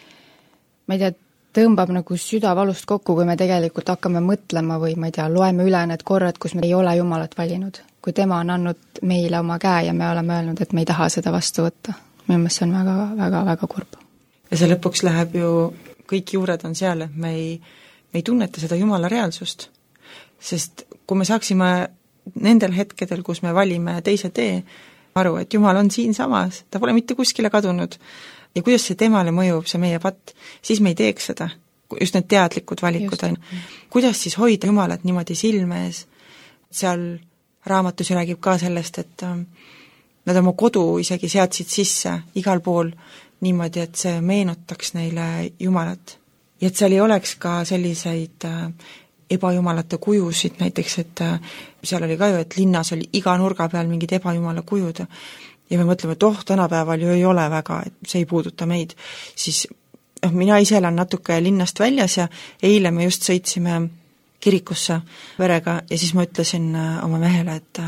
ma ei tea, tõmbab nagu südavalust kokku, kui me tegelikult hakkame mõtlema või ma ei tea, loeme üle need korrad, kus me ei ole Jumalat valinud. Kui tema on andnud meile oma käe ja me oleme öelnud, et me ei taha seda vastu võtta. Minu meelest see on väga, väga, väga kurb. Ja see lõpuks läheb ju, kõik juured on seal, et me ei, me ei tunneta seda Jumala reaalsust. Sest kui me saaksime nendel hetkedel, kus me valime teise tee, aru, et Jumal on siin samas, ta pole mitte kuskile kadunud ja kuidas see temale mõjub, see meie patt, siis me ei teeks seda. Just need teadlikud valikud on. Kuidas siis hoida Jumalat niimoodi silme ees? Seal raamatus räägib ka sellest, et nad oma kodu isegi seadsid sisse igal pool niimoodi, et see meenutaks neile Jumalat. Ja et seal ei oleks ka selliseid ebajumalate kujusid, näiteks, et seal oli ka ju, et linnas oli iga nurga peal mingid ebajumala kujud ja me mõtleme, et oh, tänapäeval ju ei ole väga, et see ei puuduta meid, siis noh, mina ise elan natuke linnast väljas ja eile me just sõitsime kirikusse verega ja siis ma ütlesin oma mehele, et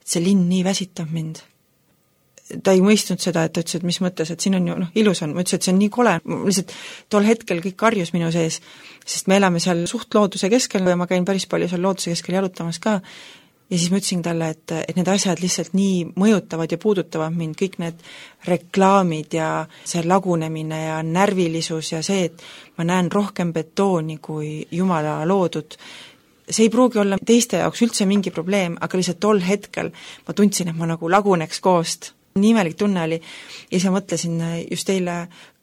see linn nii väsitab mind. Ta ei mõistnud seda, et ta ütles, et mis mõttes, et siin on ju, noh, ilus on, ma ütlesin, et see on nii kole, lihtsalt tol hetkel kõik karjus minu sees, sest me elame seal suht looduse keskel ja ma käin päris palju seal looduse keskel jalutamas ka ja siis ma ütlesin talle, et, et need asjad lihtsalt nii mõjutavad ja puudutavad mind, kõik need reklaamid ja see lagunemine ja närvilisus ja see, et ma näen rohkem betooni kui Jumala loodud. See ei pruugi olla teiste jaoks üldse mingi probleem, aga lihtsalt tol hetkel ma tundsin, et ma nagu laguneks koost. Nii imelik tunne oli ja siis ma mõtlesin just eile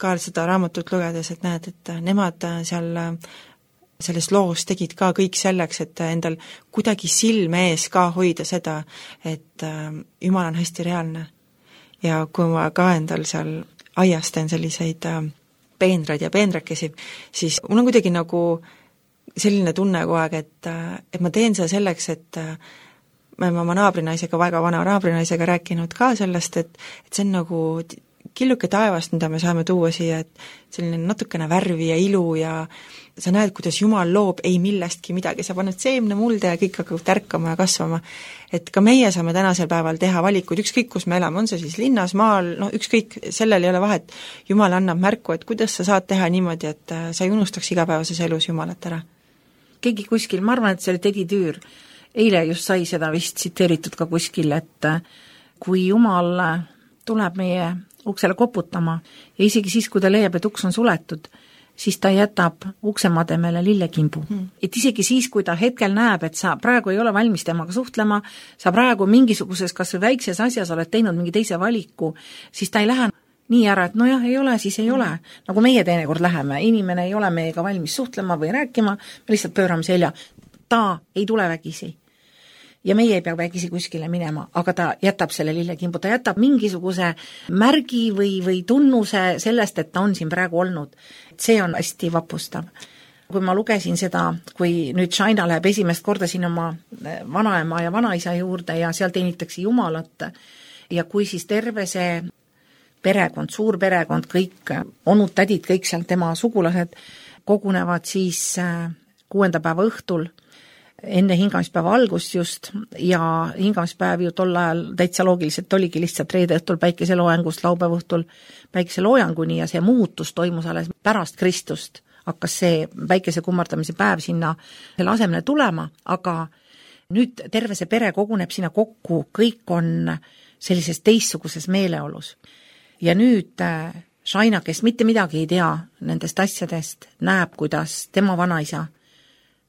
ka seda raamatut lugedes, et näed, et nemad seal selles loos tegid ka kõik selleks, et endal kuidagi silme ees ka hoida seda, et Jumal on hästi reaalne. Ja kui ma ka endal seal aias teen selliseid peenraid ja peenrakesi, siis mul on kuidagi nagu selline tunne kogu aeg, et, et ma teen seda selleks, et me oleme oma naabrinaisega, väga vana naabrinaisega rääkinud ka sellest, et, et see on nagu killuke taevast, mida me saame tuua siia, et selline natukene värvi ja ilu ja sa näed, kuidas Jumal loob ei millestki midagi, sa paned seemne mulde ja kõik hakkab tärkama ja kasvama. Et ka meie saame tänasel päeval teha valikud, ükskõik kus me elame, on see siis linnas, maal, no ükskõik, sellel ei ole vahet. Jumal annab märku, et kuidas sa saad teha niimoodi, et sa ei unustaks igapäevases elus Jumalat ära. Keegi kuskil, ma arvan, et see oli Teddy Tüür, eile just sai seda vist tsiteeritud ka kuskil, et kui Jumal tuleb meie uksele koputama ja isegi siis, kui ta leiab, et uks on suletud, siis ta jätab uksemademele lillekimbu. Hmm. Et isegi siis, kui ta hetkel näeb, et sa praegu ei ole valmis temaga suhtlema, sa praegu mingisuguses kas või väikses asjas oled teinud mingi teise valiku, siis ta ei lähe nii ära, et nojah, ei ole, siis ei ole. Nagu meie teinekord läheme, inimene ei ole meiega valmis suhtlema või rääkima, me lihtsalt pöörame selja. Ta ei tule vägisi. Ja meie ei pea vägisi kuskile minema, aga ta jätab selle lillekimbu, ta jätab mingisuguse märgi või, või tunnuse sellest, et ta on siin praegu olnud. See on hästi vapustav. Kui ma lugesin seda, kui nüüd Shaina läheb esimest korda siin oma vanaema ja vanaisa juurde ja seal teenitakse Jumalat ja kui siis terve see perekond, suur perekond, kõik onud, tädid, kõik seal tema sugulased kogunevad siis kuuenda päeva õhtul enne hingamispäeva algust just ja hingamispäev ju tol ajal täitsa loogiliselt oligi lihtsalt reede õhtul päikeseloojangust laupäeva õhtul päikeseloojanguni ja see muutus toimus alles pärast Kristust. Hakkas see päikese kummardamise päev sinna selle asemele tulema, aga nüüd terve see pere koguneb sinna kokku, kõik on sellises teistsuguses meeleolus. Ja nüüd Shaina, kes mitte midagi ei tea nendest asjadest, näeb, kuidas tema vanaisa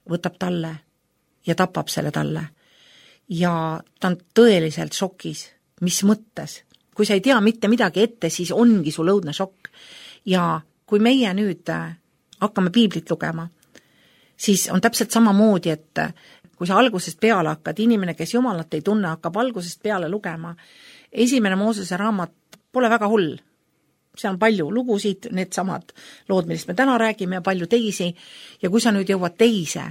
võtab talle ja tapab selle talle. Ja ta on tõeliselt šokis, mis mõttes. kui sa ei tea mitte midagi ette, siis ongi sul õudne šokk. Ja kui meie nüüd hakkame piiblit lugema, siis on täpselt samamoodi, et kui sa algusest peale hakkad, inimene, kes Jumalat ei tunne, hakkab algusest peale lugema, esimene Moosese raamat pole väga hull. Seal on palju lugusid, need samad lood, millest me täna räägime ja palju teisi, ja kui sa nüüd jõuad teise,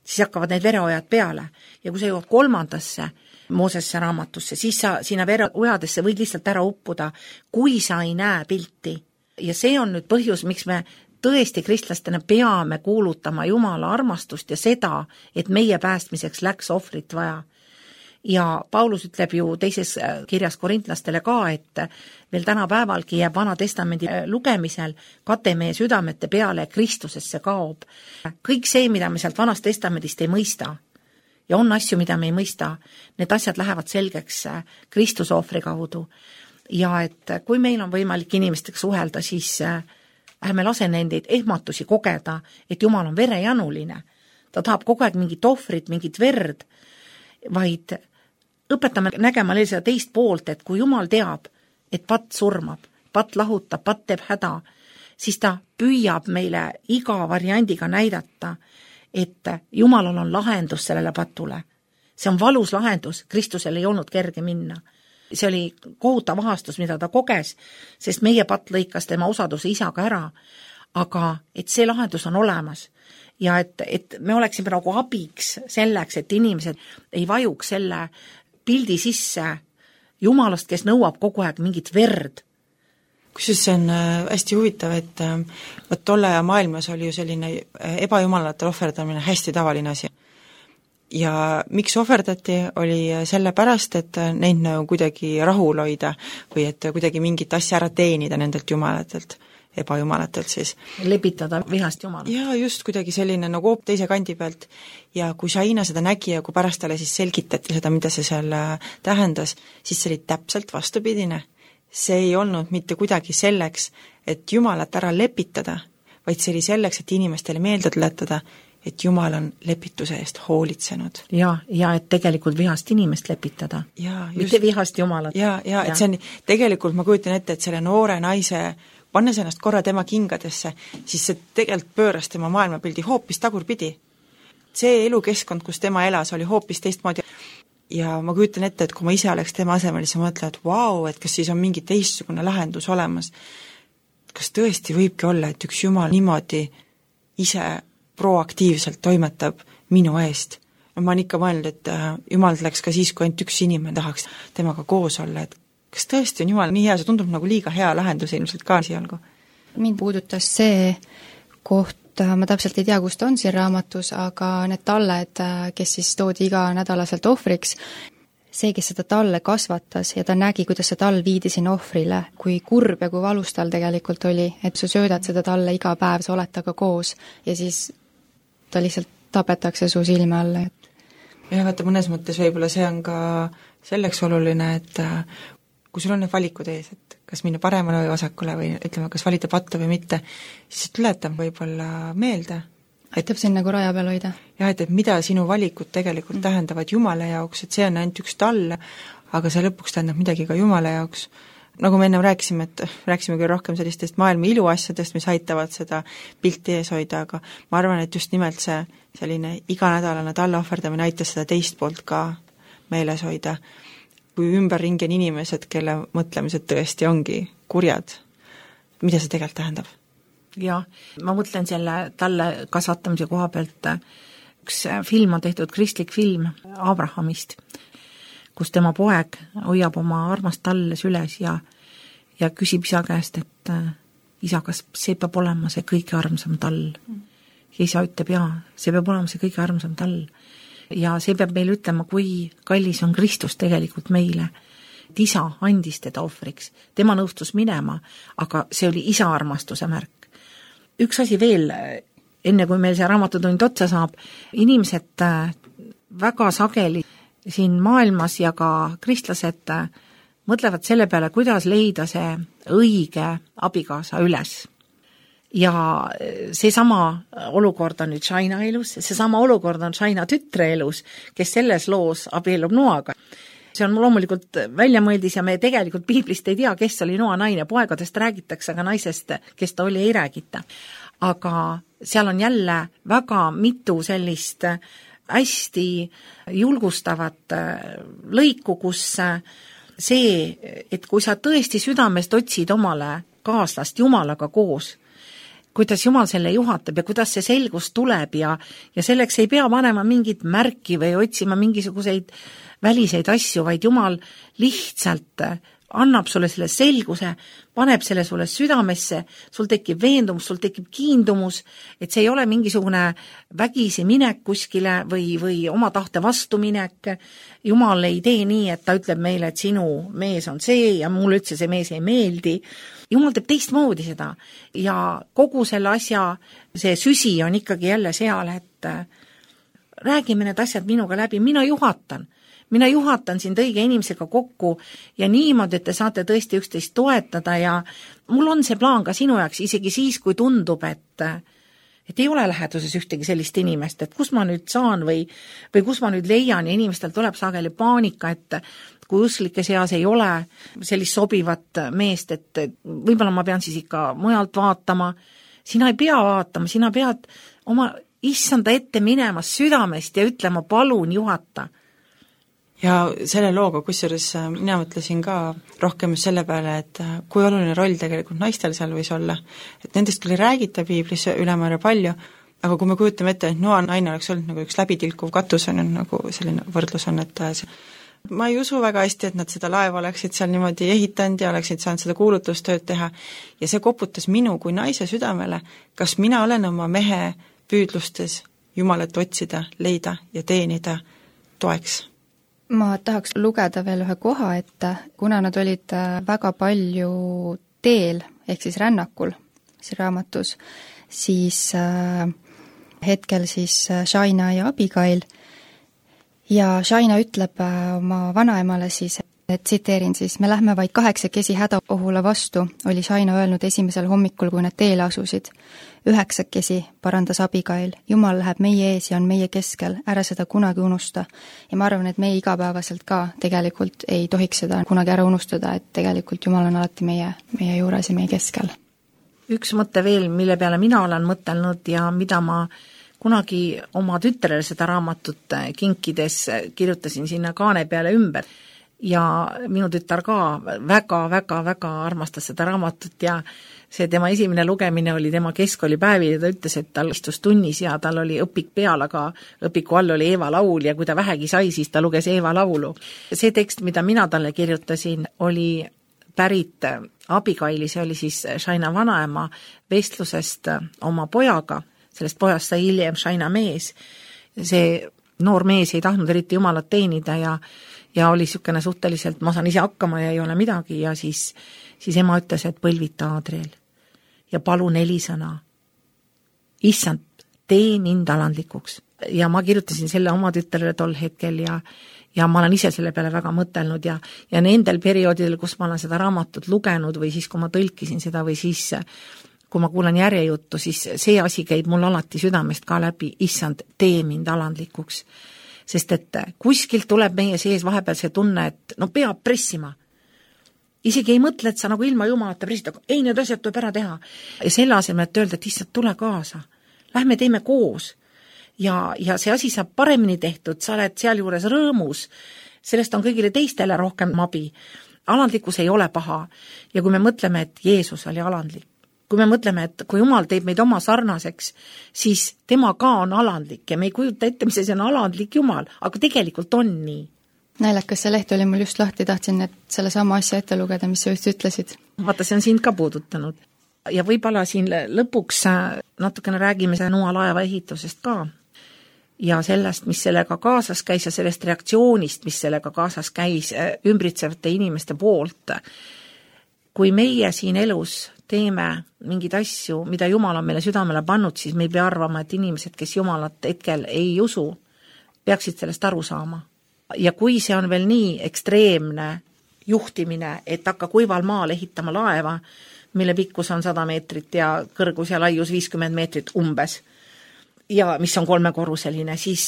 siis hakkavad need vereojad peale, ja kui sa jõuad kolmandasse Moosesse raamatusse, siis sa sinna vereojadesse võid lihtsalt ära uppuda, kui sa ei näe pilti. Ja see on nüüd põhjus, miks me tõesti kristlastena peame kuulutama Jumala armastust ja seda, et meie päästmiseks läks ohvrit vaja. Ja Paulus ütleb ju teises kirjas korintlastele ka, et veel täna päevalgi jääb Vana Testamendi lugemisel kate meie südamete peale Kristusesse kaob. Kõik see, mida me sealt Vanast Testamendist ei mõista, ja on asju, mida me ei mõista, need asjad lähevad selgeks Kristuse ohvri kaudu. Ja et kui meil on võimalik inimestega suhelda, siis ärme lase nendeid ehmatusi kogeda, et Jumal on verejanuline. Ta tahab kogu aeg mingit ohvrit, mingit verd, vaid õpetame nägema seda teist poolt, et kui Jumal teab, et patt surmab, patt lahutab, patt teeb häda, siis ta püüab meile iga variandiga näidata, et Jumalal on lahendus sellele patule. See on valus lahendus, Kristusel ei olnud kerge minna. See oli kohutav ahastus, mida ta koges, sest meie patt lõikas tema osaduse isaga ära, aga et see lahendus on olemas ja et, et me oleksime nagu abiks selleks, et inimesed ei vajuks selle pildi sisse Jumalast, kes nõuab kogu aeg mingit verd. Kusjuures see on hästi huvitav, et võt tolle ja maailmas oli ju selline ebajumalatele ohverdamine hästi tavaline asi. Ja miks ohverdati, oli selle pärast, et neid nagu kuidagi rahul hoida või et kuidagi mingit asja ära teenida nendelt jumalatelt, ebajumalatelt siis. Lepitada vihast Jumala. Ja just kuidagi selline nagu hoop teise kandi pealt. Ja kui Shaina seda nägi ja kui pärast talle siis selgitati seda, mida see seal tähendas, siis see oli täpselt vastupidine. See ei olnud mitte kuidagi selleks, et Jumalat ära lepitada, vaid see oli selleks, et inimestele meelde tuletada, et Jumal on lepituse eest hoolitsenud. Ja, ja et tegelikult vihast inimest lepitada. Ja, just, mitte vihast Jumalat. Ja, ja, et see on, tegelikult ma kujutan ette, et selle noore naise, pannes ennast korra tema kingadesse, siis see tegelikult pööras tema maailmapildi hoopis tagurpidi. See elukeskkond, kus tema elas, oli hoopis teistmoodi. Ja ma kujutan ette, et kui ma ise oleks tema asemel, siis ma mõtlen, et vau, et kas siis on mingi teistsugune lahendus olemas. Kas tõesti võibki olla, et üks Jumal niimoodi ise proaktiivselt toimetab minu eest. Ma olen ikka mõelnud, et Jumal läks ka siis, kui ainult üks inimene tahaks temaga koos olla, et kas tõesti on Jumal nii hea, see tundub nagu liiga hea lahendus ilmselt ka sialgu. Mind puudutas see koht, ma täpselt ei tea, kust on siin raamatus, aga need talled, kes siis toodi iga nädalaselt ohvriks, see, kes seda talle kasvatas ja ta nägi, kuidas see tall viidi sinna ohvrile, kui kurb ja kui valus tal tegelikult oli, et sa söödad seda talle iga päev, sa oled taga koos ja siis ta lihtsalt tapetakse su silme alla. Ja vaata, mõnes mõttes võib-olla see on ka selleks oluline, et kui sul on need valikud ees, et kas minna paremale või vasakule või ütleme, kas valida pattu või mitte, siis tuletab võib-olla meelde. Aitab siin nagu raja peal hoida. Jah, et, et mida sinu valikud tegelikult mm. tähendavad Jumala jaoks, et see on ainult üks tall, aga see lõpuks tähendab midagi ka Jumala jaoks. Nagu me ennem rääkisime, et rääkisime küll rohkem sellistest maailma iluasjadest, mis aitavad seda pilti ees hoida, aga ma arvan, et just nimelt see selline iganädalane talle ohverdamine aitas seda teist poolt ka meeles hoida. Kui ümberringi on inimesed, kelle mõtlemised tõesti ongi kurjad, mida see tegelikult tähendab? Jah, ma mõtlen selle talle kasvatamise koha pealt, üks film on tehtud, kristlik film Abrahamist, kus tema poeg hoiab oma armast talle süles ja, ja küsib isa käest, et isa, kas see peab olema see kõige armsam tall? Ja isa ütleb, jaa, see peab olema see kõige armsam tall. Ja see peab meile ütlema, kui kallis on Kristus tegelikult meile. Et isa andis teda ohvriks. Tema nõustus minema, aga see oli isa armastuse märk. Üks asi veel, enne kui meil see raamatutund otsa saab, inimesed väga sageli siin maailmas ja ka kristlased mõtlevad selle peale, kuidas leida see õige abikaasa üles. Ja see sama olukord on nüüd Shaina elus, see sama olukord on Shaina tütre elus, kes selles loos abiellub Noaga. see on loomulikult väljamõeldis ja me tegelikult piiblist ei tea, kes oli Noa naine, poegadest räägitakse, aga naisest, kes ta oli, ei räägita. Aga seal on jälle väga mitu sellist hästi julgustavat lõiku, kus see, et kui sa tõesti südamest otsid omale kaaslast Jumalaga koos, kuidas Jumal selle juhatab ja kuidas see selgus tuleb ja, ja selleks ei pea panema mingit märki või otsima mingisuguseid väliseid asju, vaid Jumal lihtsalt annab sulle selle selguse, paneb selle sulle südamesse, sul tekib veendumus, sul tekib kiindumus, et see ei ole mingisugune vägisi minek kuskile või, või oma tahte vastu minek. Jumal ei tee nii, et ta ütleb meile, et sinu mees on see ja mulle üldse see mees ei meeldi. Jumal teeb teistmoodi seda ja kogu selle asja, see süsi on ikkagi jälle seal, et räägime need asjad minuga läbi, mina juhatan. Mina juhatan sind õige inimesega kokku ja niimoodi, et te saate tõesti üksteist toetada ja mul on see plaan ka sinu jaoks, isegi siis, kui tundub, et, et ei ole läheduses ühtegi sellist inimest, et kus ma nüüd saan või, või kus ma nüüd leian ja inimestel tuleb sageli paanika, et kui usklike seas ei ole sellist sobivat meest, et võib-olla ma pean siis ikka mujalt vaatama. Sina ei pea vaatama, sina pead oma issanda ette minema südamest ja ütlema, palun juhata. Ja selle looga, kusjuures mina mõtlesin ka rohkem selle peale, et kui oluline roll tegelikult naistel seal võis olla. Et nendest küll ei räägita piiblis ülemäära palju, aga kui me kujutame ette, et Noa naine oleks olnud nagu üks läbitilkuv katus, on nagu selline võrdlus on, et see ma ei usu väga hästi, et nad seda laeva oleksid seal niimoodi ehitanud ja oleksid saanud seda kuulutustööd teha. Ja see koputas minu kui naise südamele, kas mina olen oma mehe püüdlustes Jumalat otsida, leida ja teenida toeks. Ma tahaks lugeda veel ühe koha, et kuna nad olid väga palju teel, ehk siis rännakul siin raamatus, siis äh, hetkel siis Shaina ja Abigail ja Shaina ütleb oma vanaemale siis, et tsiteerin siis, me lähme vaid kaheksakesi hädaohule vastu, oli Shaina öelnud esimesel hommikul, kui nad teele asusid. Üheksakesi, parandas Abigail, Jumal läheb meie ees ja on meie keskel, ära seda kunagi unusta. Ja ma arvan, et meie igapäevaselt ka tegelikult ei tohiks seda kunagi ära unustada, et tegelikult Jumal on alati meie, meie juures ja meie keskel. Üks mõte veel, mille peale mina olen mõtelnud ja mida ma kunagi oma tütrele seda raamatut kinkides kirjutasin sinna kaane peale ümber. Ja minu tütar ka väga-väga-väga armastas seda raamatut ja see tema esimene lugemine oli tema keskkoolipäevil ja ta ütles, et tal istus tunnis ja tal oli õpik peal, aga õpiku all oli Eeva laul ja kui ta vähegi sai, siis ta luges Eeva laulu. See tekst, mida mina talle kirjutasin, oli pärit Abigaili, see oli siis Shaina vanaema vestlusest oma pojaga, sellest pojast sai hiljem Shaina mees. See noor mees ei tahtnud eriti Jumalat teenida ja ja oli niisugune suhteliselt, ma saan ise hakkama ja ei ole midagi ja siis, siis ema ütles, et põlvita Adriel ja palu neli sõna. Issand, tee mind alandlikuks. Ja ma kirjutasin selle oma tütrele tol hetkel ja, ja ma olen ise selle peale väga mõtelnud ja, ja nendel perioodidel, kus ma olen seda raamatut lugenud või siis, kui ma tõlkisin seda või siis, kui ma kuulan järjejuttu, siis see asi käib mul alati südamest ka läbi, issand, tee mind alandlikuks. Sest et kuskilt tuleb meie sees vahepeal see tunne, et no peab pressima. Isegi ei mõtle, et sa nagu ilma Jumalata pressid, aga ei, need asjad tuleb ära teha. Ja selle asemel, et öelda, et issand, tule kaasa. Lähme teeme koos. Ja, ja see asi saab paremini tehtud, sa oled seal juures rõõmus. Sellest on kõigile teistele rohkem abi. Alandlikkus ei ole paha. Ja kui me mõtleme, et Jeesus oli alandlik, kui me mõtleme, et kui Jumal teeb meid oma sarnaseks, siis tema ka on alandlik ja me ei kujuta ette, mis see on alandlik Jumal, aga tegelikult on nii. Naljakas, see leht oli mul just lahti, tahtsin et selle sama asja ette lugeda, mis sa just ütlesid. Vaata, see on sind ka puudutanud. Ja võib-olla siin lõpuks natukene räägime Noa laeva ehitusest ka ja sellest, mis sellega kaasas käis ja sellest reaktsioonist, mis sellega kaasas käis ümbritsevate inimeste poolt. Kui meie siin elus teeme mingeid asju, mida Jumal on meile südamele pannud, siis me ei pea arvama, et inimesed, kes Jumalat hetkel ei usu, peaksid sellest aru saama. Ja kui see on veel nii ekstreemne juhtimine, et hakka kuival maal ehitama laeva, mille pikkus on sada meetrit ja kõrgus ja laius viiskümmend meetrit umbes, ja mis on kolmekorruseline, siis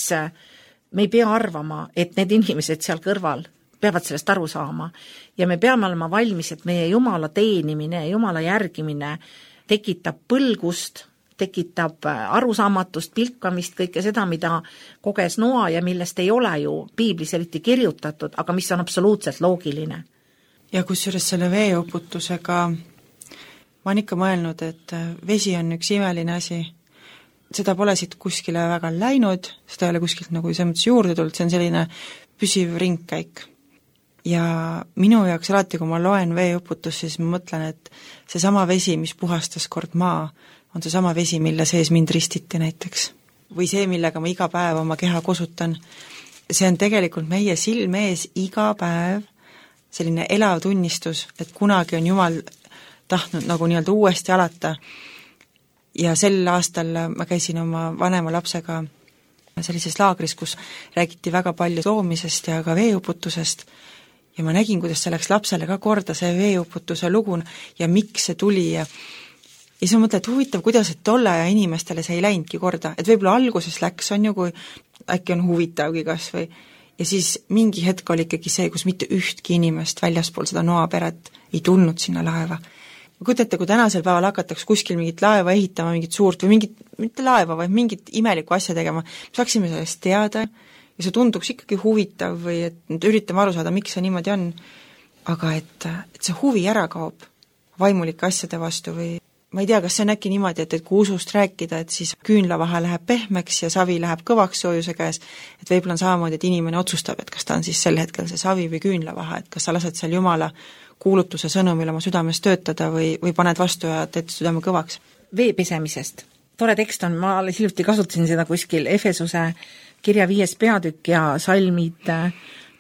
me ei pea arvama, et need inimesed seal kõrval peavad sellest aru saama ja me peame olema valmis, et meie Jumala teenimine, Jumala järgimine tekitab põlgust, tekitab arusaamatust, pilkamist, kõike seda, mida koges Noa ja millest ei ole ju piiblis eriti kirjutatud, aga mis on absoluutselt loogiline. Ja kusjuures selle veeuputusega ma olen ikka mõelnud, et vesi on üks imeline asi. Seda pole siit kuskile väga läinud, seda ei ole kuskilt nagu selles mõttes juurde tulnud, see on selline püsiv ringkäik. Ja minu jaoks alati, kui ma loen veeuputus, siis ma mõtlen, et see sama vesi, mis puhastas kord maa, on see sama vesi, mille sees mind ristiti näiteks. Või see, millega ma iga päev oma keha kosutan. See on tegelikult meie silme ees iga päev selline elav tunnistus, et kunagi on Jumal tahtnud nagu nii-öelda uuesti alata. Ja sel aastal ma käisin oma vanema lapsega sellises laagris, kus räägiti väga palju loomisest ja ka veeuputusest ja ma nägin, kuidas see läks lapsele ka korda, see veeuputuse lugu ja miks see tuli ja ja siis ma mõtlen, et huvitav, kuidas et tolle ja inimestele see ei läinudki korda, et võib-olla alguses läks, on ju, kui äkki on huvitavgi kas või ja siis mingi hetk oli ikkagi see, kus mitte ühtki inimest väljaspool seda Noa peret ei tulnud sinna laeva. Kujutate, kui tänasel päeval hakatakse kuskil mingit laeva ehitama, mingit suurt või mingit, mitte laeva, vaid mingit imelikku asja tegema, saaksime sellest teada ja see tunduks ikkagi huvitav või et üritame aru saada, miks see niimoodi on, aga et, et see huvi ära kaob vaimulike asjade vastu või ma ei tea, kas see on äkki niimoodi, et, et kui usust rääkida, et siis küünlavaha läheb pehmeks ja savi läheb kõvaks soojuse käes, et võib-olla on samamoodi, et inimene otsustab, et kas ta on siis sel hetkel see savi või küünlavaha, et kas sa lased seal Jumala kuulutuse sõnumil oma südames töötada või, või paned vastu ja teed südame kõvaks. Vee pesemisest. Tore tekst on, ma alles hiljuti kasutasin seda kuskil Efesuse kirja viies peatükk ja salmid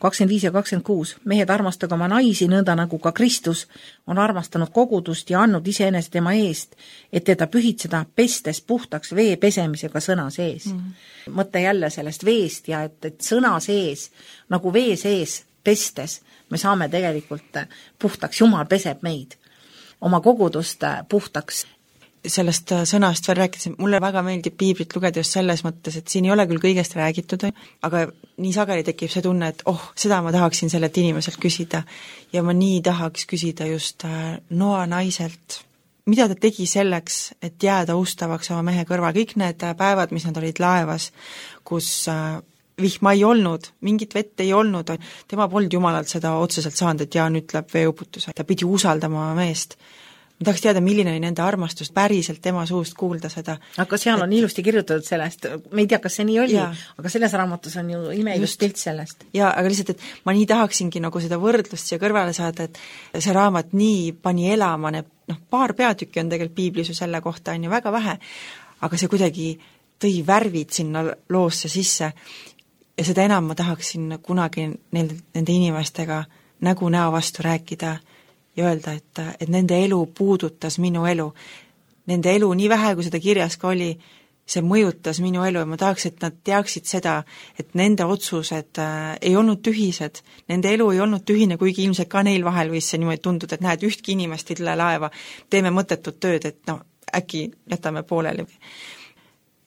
kakskümmend viis ja kakskümmend kuus. Mehed armastage oma naisi nõnda nagu ka Kristus on armastanud kogudust ja andnud iseenese tema eest, et teda pühitseda pestes puhtaks vee pesemisega sõna sees. Mm. Mõte jälle sellest veest ja et, et sõna sees, nagu vee sees pestes, me saame tegelikult puhtaks, Jumal peseb meid, oma kogudust puhtaks. Sellest sõnast veel rääkisin, mulle väga meeldib piiblit lugeda just selles mõttes, et siin ei ole küll kõigest räägitud, aga nii sageli tekib see tunne, et oh, seda ma tahaksin sellelt inimeselt küsida ja ma nii tahaks küsida just Noa naiselt, mida ta tegi selleks, et jääda ustavaks oma mehe kõrval, kõik need päevad, mis nad olid laevas, kus vihma ei olnud, mingit vett ei olnud, tema polnud Jumalalt seda otseselt saanud, et Jaan ütleb veeuputuse, ta pidi usaldama meest. Ma tahaks teada, milline oli nende armastus päriselt tema suust kuulda seda. Aga seal on et... ilusti kirjutatud sellest, me ei tea, kas see nii oli, ja. Aga selles raamatus on ju imeilust pilt sellest. Jaa, aga lihtsalt, et ma nii tahaksingi nagu seda võrdlust siia kõrvale saada, et see raamat nii pani elama, need, noh, paar peatükki on tegelikult piiblis ju selle kohta, on ju väga vähe, aga see kuidagi tõi värvid sinna loosse sisse ja seda enam ma tahaksin kunagi neil, nende inimestega nägu näo vastu rääkida ja öelda, et, et nende elu puudutas minu elu. Nende elu, nii vähe kui seda kirjas ka oli, see mõjutas minu elu ja ma tahaks, et nad teaksid seda, et nende otsused äh, ei olnud tühised, nende elu ei olnud tühine, kuigi ilmselt ka neil vahel võis see niimoodi tunduda, et näed, ühtki inimest ei tule laeva, teeme mõttetut tööd, et no äkki jätame pooleli.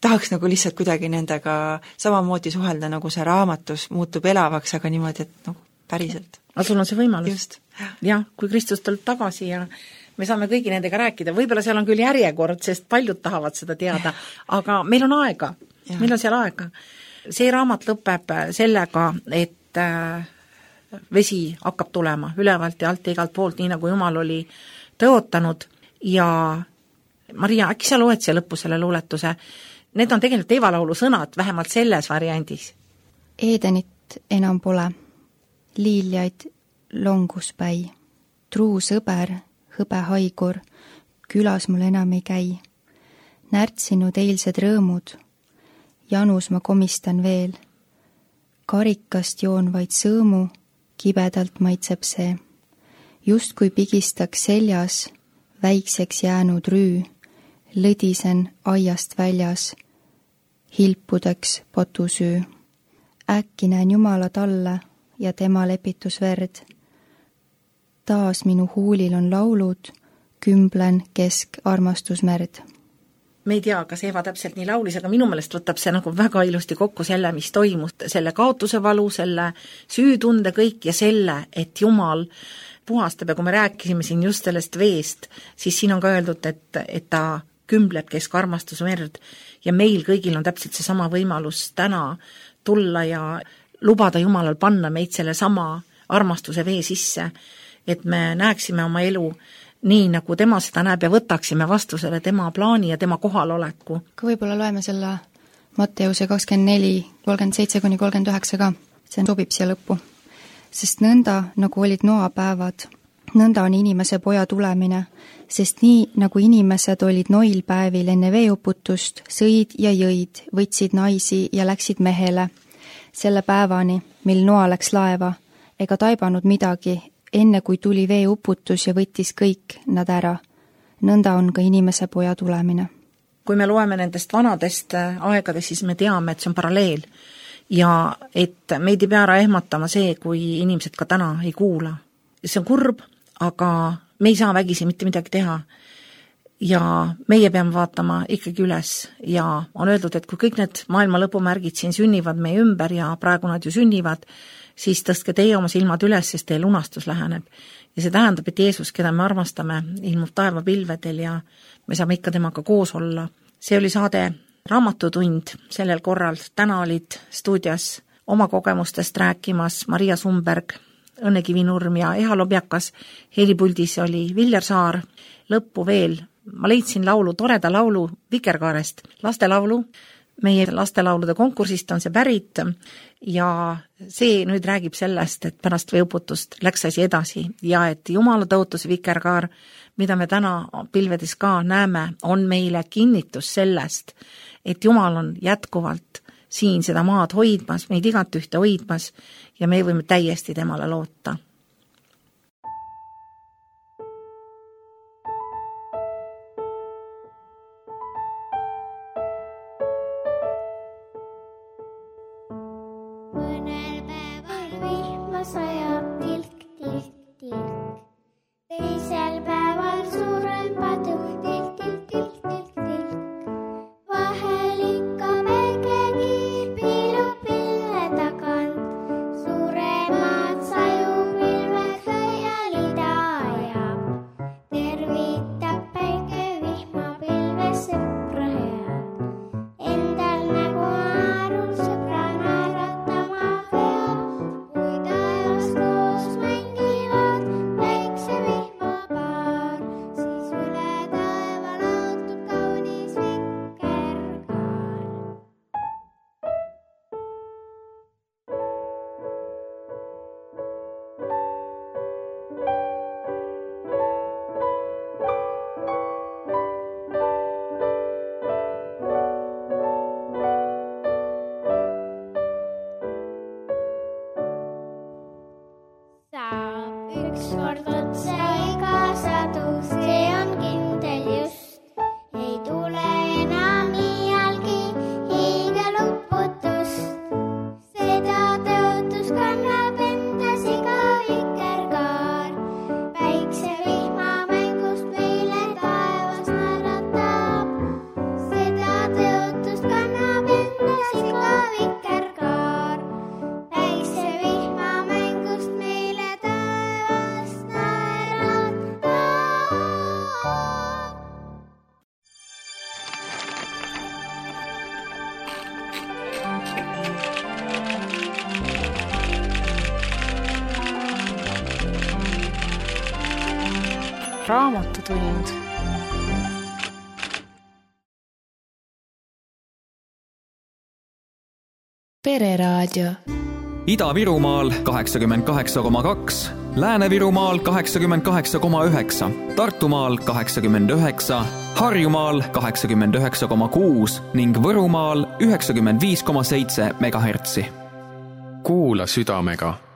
Tahaks nagu lihtsalt kuidagi nendega samamoodi suhelda, nagu see raamatus muutub elavaks, aga niimoodi, et nagu päriselt. Aga sul on see võimalus. Jah, kui Kristus tuleb tagasi ja me saame kõigi nendega rääkida, võib-olla seal on küll järjekord, sest paljud tahavad seda teada, aga meil on aega, ja. Meil on seal aega. See raamat lõpeb sellega, et vesi hakkab tulema ülevalt ja alt ja igalt poolt, nii nagu Jumal oli tõotanud ja Maria, äkki sa loed siia lõppu selle luuletuse? Need on tegelikult Eevalaulu sõnad, vähemalt selles variandis. Eedenit enam pole, liiljaid longuspäi, truu sõber, hõbe haigur, külas mul enam ei käi. Närtsinud eilsed rõõmud, janus ma komistan veel, karikast joon vaid sõõmu, kibedalt maitseb see. Just kui pigistaks seljas, väikseks jäänud rüü, lõdisen aiast väljas, hilpudeks potusüü. Äkki näen Jumala talle ja tema lepitusverd. Taas minu huulil on laulud, kümblen kesk armastusmerd. me ei tea, kas Eva täpselt nii laulis, aga minu meelest võtab see nagu väga ilusti kokku selle, mis toimus, selle kaotuse valu, selle süütunde kõik ja selle, et Jumal puhastab ja kui me rääkisime siin just sellest veest, siis siin on ka öeldud, et, et ta kümbleb kesk armastusmerd ja meil kõigil on täpselt see sama võimalus täna tulla ja lubada Jumalal panna meid selle sama armastuse vee sisse, et me näeksime oma elu nii, nagu tema seda näeb ja võtaksime vastu selle tema plaani ja tema kohaloleku. Ka võib-olla loeme selle Matteuse kakskümmend neli, kolmkümmend seitse kuni kolmkümmend üheksa ka, see sobib siia lõppu. Sest nõnda, nagu olid Noa päevad, nõnda on inimese poja tulemine, sest nii, nagu inimesed olid Noil päevil enne veeuputust, sõid ja jõid, võtsid naisi ja läksid mehele, selle päevani, mil Noa läks laeva, ega taibanud midagi, enne kui tuli veeuputus ja võttis kõik nad ära. Nõnda on ka inimese poja tulemine. Kui me loeme nendest vanadest aegadest, siis me teame, et see on paralleel ja et meid ei pea ära ehmatama see, kui inimesed ka täna ei kuula. See on kurb, aga me ei saa vägisi mitte midagi teha ja meie peame vaatama ikkagi üles ja on öeldud, et kui kõik need maailma lõpumärgid siin sünnivad meie ümber ja praegu nad ju sünnivad, siis tõstke teie oma silmad üles, sest teie lunastus läheneb. Ja see tähendab, et Jeesus, keda me armastame, ilmub taevapilvedel ja me saame ikka temaga koos olla. See oli saade Raamatutund sellel korral. Täna olid stuudios oma kogemustest rääkimas Maria Sumberg, Õnne Kivinurm ja Eha Lobjakas. Helipuldis oli Viljar Saar. Lõppu veel. Ma leidsin laulu, toreda laulu Vikerkaarest, lastelaulu. Meie lastelaulude konkursist on see pärit ja see nüüd räägib sellest, et pärast veeuputust läks asi edasi ja et Jumala tõotus Vikerkaar, mida me täna pilvedes ka näeme, on meile kinnitus sellest, et Jumal on jätkuvalt siin seda maad hoidmas, meid igat ühte hoidmas ja me võime täiesti temale loota. Raamatutund. Pereraadio. Ida-Virumaal kaheksakümmend kaheksa koma kaks, Lääne-Virumaal kaheksakümmend kaheksa koma üheksa, Tartumaal kaheksakümmend üheksa, Harjumaal kaheksakümmend üheksa koma kuus ning Võrumaal üheksakümmend viis koma seitse megahertsi. Kuula südamega